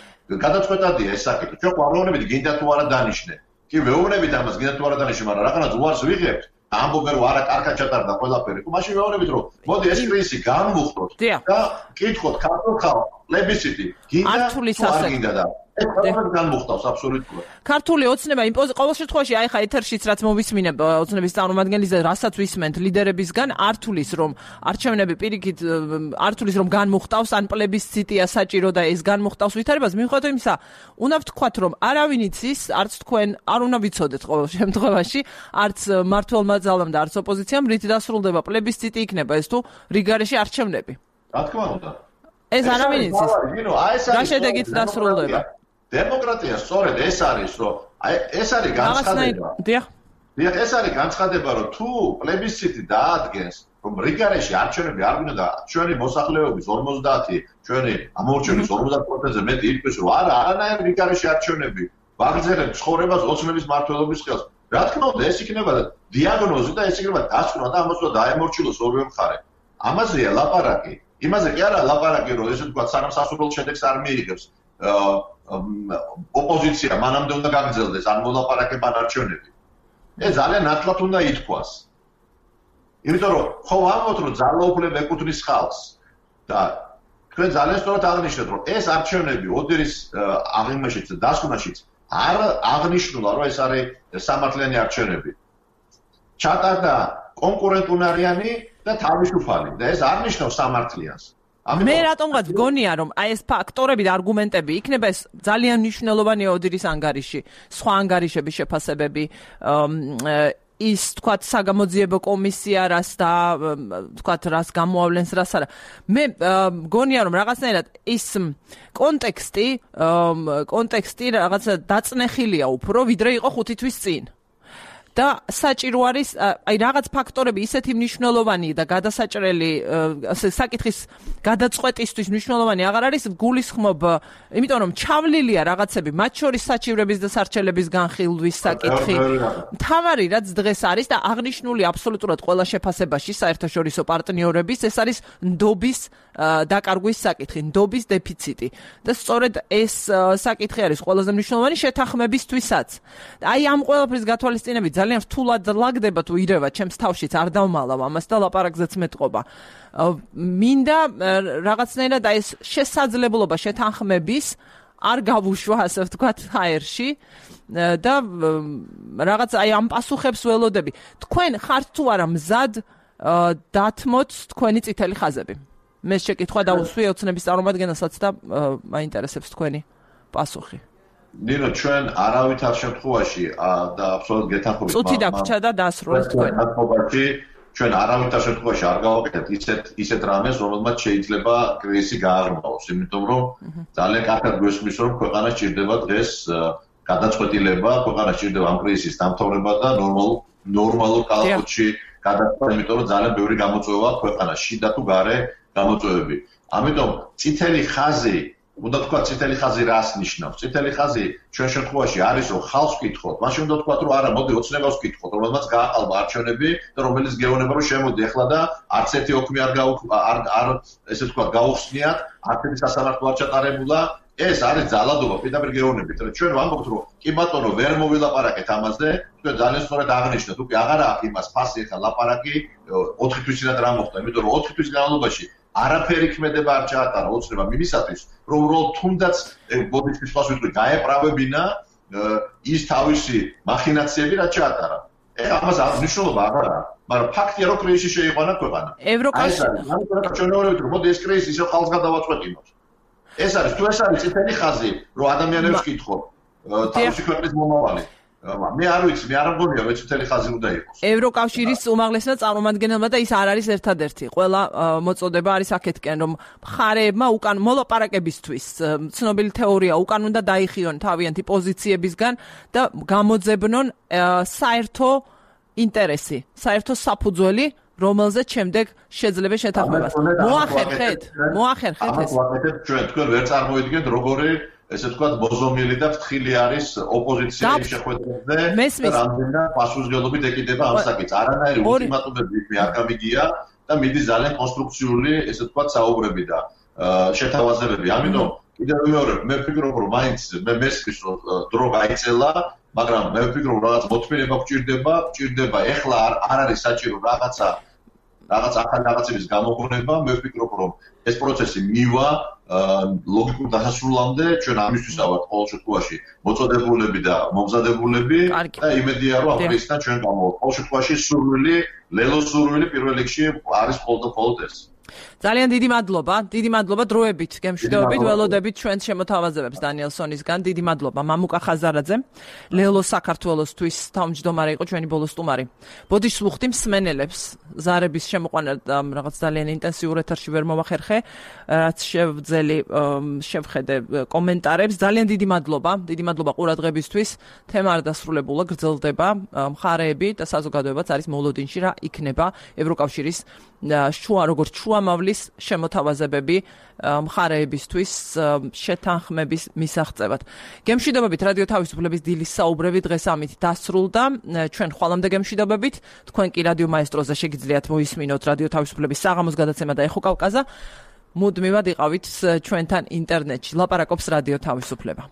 [SPEAKER 8] გადაწყვეტადია ეს საკითხი. ჩვენ ყვავროვნებით გინდა თუ არა დანიშნე. კი ვეუბნებით ამას, გინდა თუ არა დანიშნე, მაგრამ რაღაცა უარს ვიღებთ. ამბობენ რომ არა კარგად ჩატარდა ყველაფერი. მაშინ ვეუბნებით რომ მოდი ეს კრიზისი განვუხდოთ და კითხოთ ქართულ ხალხს პლებისციტი გინდა თუ არ გინდა და ეს ყველაფერი განვუხდავს აბსოლუტურად.
[SPEAKER 1] ქართული ოცნება იმ ყოველ შემთხვევაში აი ხა ეთერშიც რაც მოვისმინებ ოცნების წარმომადგენლის და რასაც ვისმენთ ლიდერებისგან არ თulis რომ არჩევნები პირიქით არ თulis რომ განმუხტავს ან პლებისციტია საჭირო და ეს განმუხტავს ვითარებას მიუხედავად იმისა უნდა ვთქვათ რომ არავინ იცის არც თქვენ არ უნდა ვიცოდეთ ყოველ შემთხვევაში არც მართლმა ძალამ და არც ოპოზიციამ რით დასრულდება პლებისციტი იქნება ეს თუ რიგარეში არჩევნები.
[SPEAKER 8] რა თქმა უნდა.
[SPEAKER 1] ეს არავინ იცის. რა შედეგით დასრულდება?
[SPEAKER 8] დემოკრატია სწორედ ეს არის რომ აი ეს არის განცხადება.
[SPEAKER 1] დიახ.
[SPEAKER 8] დიახ, ეს არის განცხადება რომ თუ პლებისციტი დაადგენს რომ რიგარეში არჩევნები არ გვინდა და ჩვენი მოსახლეობის ორმოცდაათი ჩვენი ამორჩევის ორმოცდაათ პროცენტზე მეტი იტყვის რომ არა არანაირი რიგარეში არჩევნები ვაგრძელებ ცხოვრებას ოცნების მმართველობის ხელს. რა თქმა უნდა ეს იქნება დიაგნოზი და ეს იქნება დასკვნა და ამას უნდა დაემორჩილოს ორივე მხარე. ამაზეა ლაპარაკი. იმაზე კი არა ლაპარაკი რომ ესე ვთქვათ სანამ სასურველ შედეგს არ მიიღებს ოპოზიცია მანამდე უნდა გაგრძელდეს არ მოლაპარაკება არჩევნები. ეს ძალიან ნათლად უნდა ითქვას. იმიტომ რომ ხო ამბობთ რომ ძალაუფლება ეკუთვნის ხალხს და თქვენ ძალიან სწორად აღნიშნეთ რომ ეს არჩევნები ოდერის აღიმაშიც და დასკვნაშიც არ აღნიშნულა რომ ეს არის სამართლიანი არჩევნები. ჩატარდა კონკურენტუნარიანი და თავისუფალი და ეს არ ნიშნავს სამართლიანს.
[SPEAKER 1] მე რატომღაც გონია რომ აი ეს ფაქტორები და არგუმენტები იქნება ეს ძალიან მნიშვნელოვანია ოდერის ანგარიში, სხვა ანგარიშების შეფასებები, ის თქვათ საგამოძიებო კომისია რას და თქვათ რას გამოავლენს რას არა. მე გონია რომ რაღაცნაირად ის კონტექსტი, კონტექსტი რაღაცა დაწნეხილია უფრო ვიდრე იყო ხუთი თვის წინ. და საჭირო არის აი რაღაც ფაქტორები ისეთი მნიშვნელოვანი და გადასაჭრელი საკითხის გადაწყვეტისთვის მნიშვნელოვანი აღარ არის გულისხმობ იმიტომ რომ ჩავლილია რაღაცები მათ შორის საჭიროების და სარჩელების განხილვის საკითხი თავარი რაც დღეს არის და აღნიშნული აბსოლუტურად ყველა შეფასებაში საერთაშორისო პარტნიორების ეს არის ნდობის დაკარგვის საკითხი ნდობის დეფიციტი და სწორედ ეს საკითხი არის ყველაზე მნიშვნელოვანი შეთანხმებისთვისაც აი ამ ყველაფრის გათვალისწინებით ძალიან რთულად ლაგდება თუ ირევა ჩემს თავშიც არ დავმალავ ამას და ლაპარაკზეც მეტყობა მინდა რაღაცნაირად აი ეს შესაძლებლობა შეთანხმების არ გავუშვა ასე ვთქვათ ჰაერში და რაღაც აი ამ პასუხებს ველოდები თქვენ ხართ თუ არა მზად დათმოთ თქვენი წითელი ხაზები მე შეკითხვა დავუსვი ოცნების წარმომადგენელსაც და მაინტერესებს თქვენი პასუხი
[SPEAKER 8] ნინო ჩვენ არავითარ შემთხვევაში და აბსოლუტურად გეთანხმებით
[SPEAKER 1] წუთი დაგვრჩა და დასრულეთ თქვენ
[SPEAKER 8] შემთხვევაში ჩვენ არავითარ შემთხვევაში არ გავაკეთებთ ისეთ ისეთ რამეს რომელმაც შეიძლება კრიზისი გააღრმავოს იმიტომ რომ ძალიან კარგად გვესმის რომ ქვეყანა სჭირდება დღეს გადაწყვეტილება ქვეყანა სჭირდება ამ კრიზისის დამთავრება და ნორმალურ ნორმალურ კალათში გადაწყვეტა იმიტომ რომ ძალიან ბევრი გამოწვევა ქვეყანაში და თუ გარე გამოწვევები ამიტომ წითელი ხაზი უნდა თქვა წითელი ხაზი რას ნიშნავს? წითელი ხაზი ჩვენ შემთხვევაში არის რომ ხალხს ვკითხოთ. მაშინ უნდა თქვა რომ არა, მოდი ოცნებას ვკითხოთ, რომელმაც გააყალბა არჩევნები და რომელიც გეუბნება რომ შემოდი ახლა და არც ერთი ოქმი არ არ არ ესე თქვა გაუხსნიათ, არც ერთი სასამართლო არ ჩატარებულა. ეს არის ძალადობა, პირდაპირ გეუბნებით. ჩვენ ვამბობთ რომ კი ბატონო, ვერ მოვილაპარაკეთ ამაზე, თქვენ ძალიან სწორად აღნიშნეთ, უკვე აღარ აქვს იმას ფასი ახლა ლაპარაკი ოთხი თვის წინათ რა მოხდა, იმიტომ რომ ოთხი თვის განმავლობაში არაფერი ქმედება არ ჩაატარა ოცნება მიმისათვის, რომ უბრალოდ თუნდაც ბოდიშის ფას ვიტყვი გაეправებინა ის თავისი მახინაციები რაც ჩაატარა. ეხლა ამას მნიშვნელობა აღარ აქვს, მაგრამ ფაქტია რომ კრიზისი შეიყვანა ქვეყანა.
[SPEAKER 1] ევროკავშირი
[SPEAKER 8] ჩვენ ვეუბნებით რომ მოდი ეს კრიზისი ისევ ხალხს გადავაწყვეტინოთ. ეს არის თუ ეს არის წითელი ხაზი, რომ ადამიანებს კითხოთ თავისი ქვეყნის მომავალი. მე არ ვიცი, მე არ მგონია რომ წითელი ხაზი უნდა იყოს.
[SPEAKER 1] ევროკავშირის უმაღლესმა წარმომადგენელმა და ის არ არის ერთადერთი. ყველა მოწოდება არის აქეთკენ, რომ მხარეებმა უკან მოლაპარაკებისთვის ცნობილი თეორია უკან უნდა დაიხიონ თავიანთი პოზიციებისგან და გამოძებნონ საერთო ინტერესი, საერთო საფუძველი რომელზეც შემდეგ შეძლება შეთანხმებას. მოახერხეთ, მოახერხეთ ეს.
[SPEAKER 8] ჩვენ თქვენ ვერ წარმოიდგენთ როგორი ესე ვთქვათ მოზომილი და ფრთხილი არის ოპოზიციის შეხვედრებზე და რამდენად პასუხისმგებლობით ეკიდება ამ საკითხს. არანაირი ულტიმატუმები მე არ გამიგია და მიდის ძალიან კონსტრუქციული ესე ვთქვათ საუბრები და შეთავაზებები. ამიტომ კიდევ მეორე მე ვფიქრობ რომ მაინც მე მესმის რომ დრო გაიწელა მაგრამ მე ვფიქრობ რაღაც მოთმინება გვჭირდება, გვჭირდება ეხლა არ არ არის საჭირო რაღაცა რაღაც ახალი რაღაცების გამოგონება, მე ვფიქრობ რომ ეს პროცესი მივა ლოგიკურ დასასრულამდე ჩვენ ამისთვის ავართ ყოველ შემთხვევაში მოწოდებულები და მომზადებულები და იმედია რომ აპრილისიდან ჩვენ გამოვართ. ყოველ შემთხვევაში სურვილი, ლელოს სურვილი პირველ რიგში არის მხოლოდ ეს.
[SPEAKER 1] ძალიან დიდი მადლობა, დიდი მადლობა დროებით, გემშვიდობებით, ველოდებით ჩვენ შემოთავაზებებს დანიელსონისგან. დიდი მადლობა მამუკა ხაზარაძე, ლელო საქართველოსთვის თავმჯდომარე იყო ჩვენი ბოლო სტუმარი. ბოდიშს ვუხდი მსმენელებს, ზარების შემოყვანა რაღაც ძალიან ინტენსიურ ეთერში ვერ მოვახერხე, რაც შევძელი შევხედე კომენტარებს. ძალიან დიდი მადლობა, დიდი მადლობა ყურადღებისთვის. თემა არ დასრულებულა, გრძელდება, მხარეები და საზოგადოებაც არის მოლოდინში რა იქნება ევროკავშირის შუა როგორც შუამავლის შემოთავაზებები მხარეებისთვის შეთანხმების მისაღწევად. გემშვიდობებით რადიო თავისუფლების დილის საუბრები დღეს ამით დასრულდა. ჩვენ ხვალამდე გემშვიდობებით, თქვენ კი რადიო მაესტროზე შეგიძლიათ მოისმინოთ რადიო თავისუფლების საღამოს გადაცემა და ეხო კავკაზა. მუდმივად იყავით ჩვენთან ინტერნეტში. ლაპარაკობს რადიო თავისუფლება.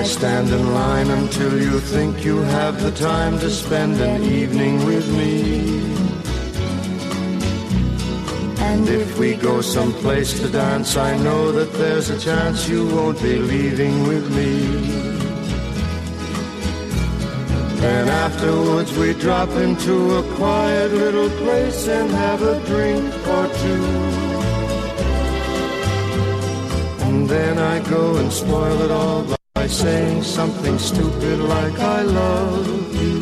[SPEAKER 9] Stand in line until you think you have the time to spend an evening with me. And if we go someplace to dance, I know that there's a chance you won't be leaving with me. Then afterwards we drop into a quiet little place and have a drink or two. And then I go and spoil it all by By saying something stupid like I love you.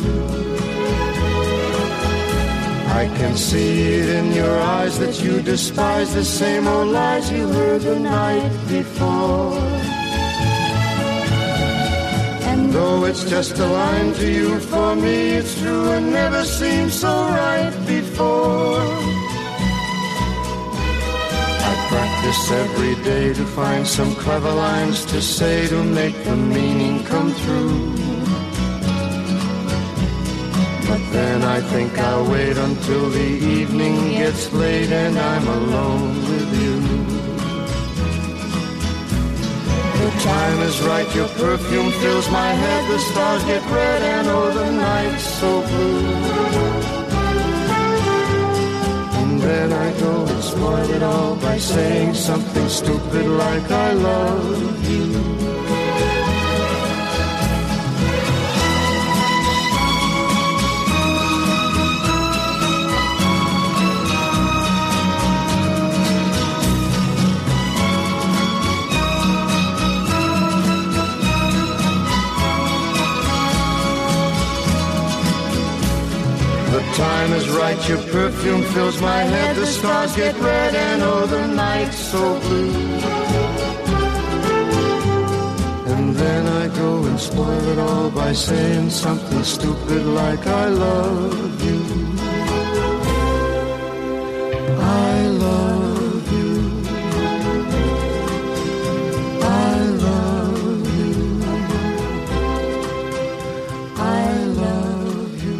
[SPEAKER 9] I can see it in your eyes that you despise the same old lies you heard the night before. And though it's just a line to you, for me it's true and never seemed so right before. Practice every day to find some clever lines to say to make the meaning come through. But then I think I'll wait until the evening gets late and I'm alone with you. The time is right, your perfume fills my head, the stars get red and oh the night's so blue. Then I go and spoil it all by saying something stupid like I love you. Time is right, your perfume fills my head, the stars get red and oh the night's so blue. And then I go and spoil it all by saying something stupid like I love you. I love you. I love you. I love you.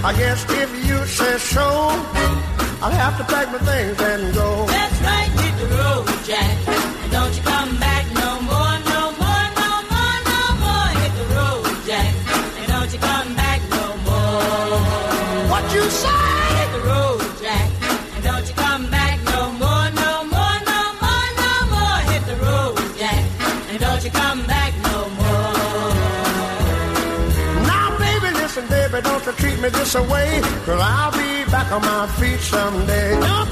[SPEAKER 9] I guess if you say so, I'll have to pack my things and go.
[SPEAKER 10] That's right, hit the road, Jack. And don't you come back no more, no more, no more, no more. Hit the road, Jack. And don't you come back no more.
[SPEAKER 9] What you say?
[SPEAKER 10] Hit the road, Jack. And don't you come back no more, no more, no more, no more.
[SPEAKER 9] me this away, 'cause I'll be back on my feet someday.
[SPEAKER 10] Don't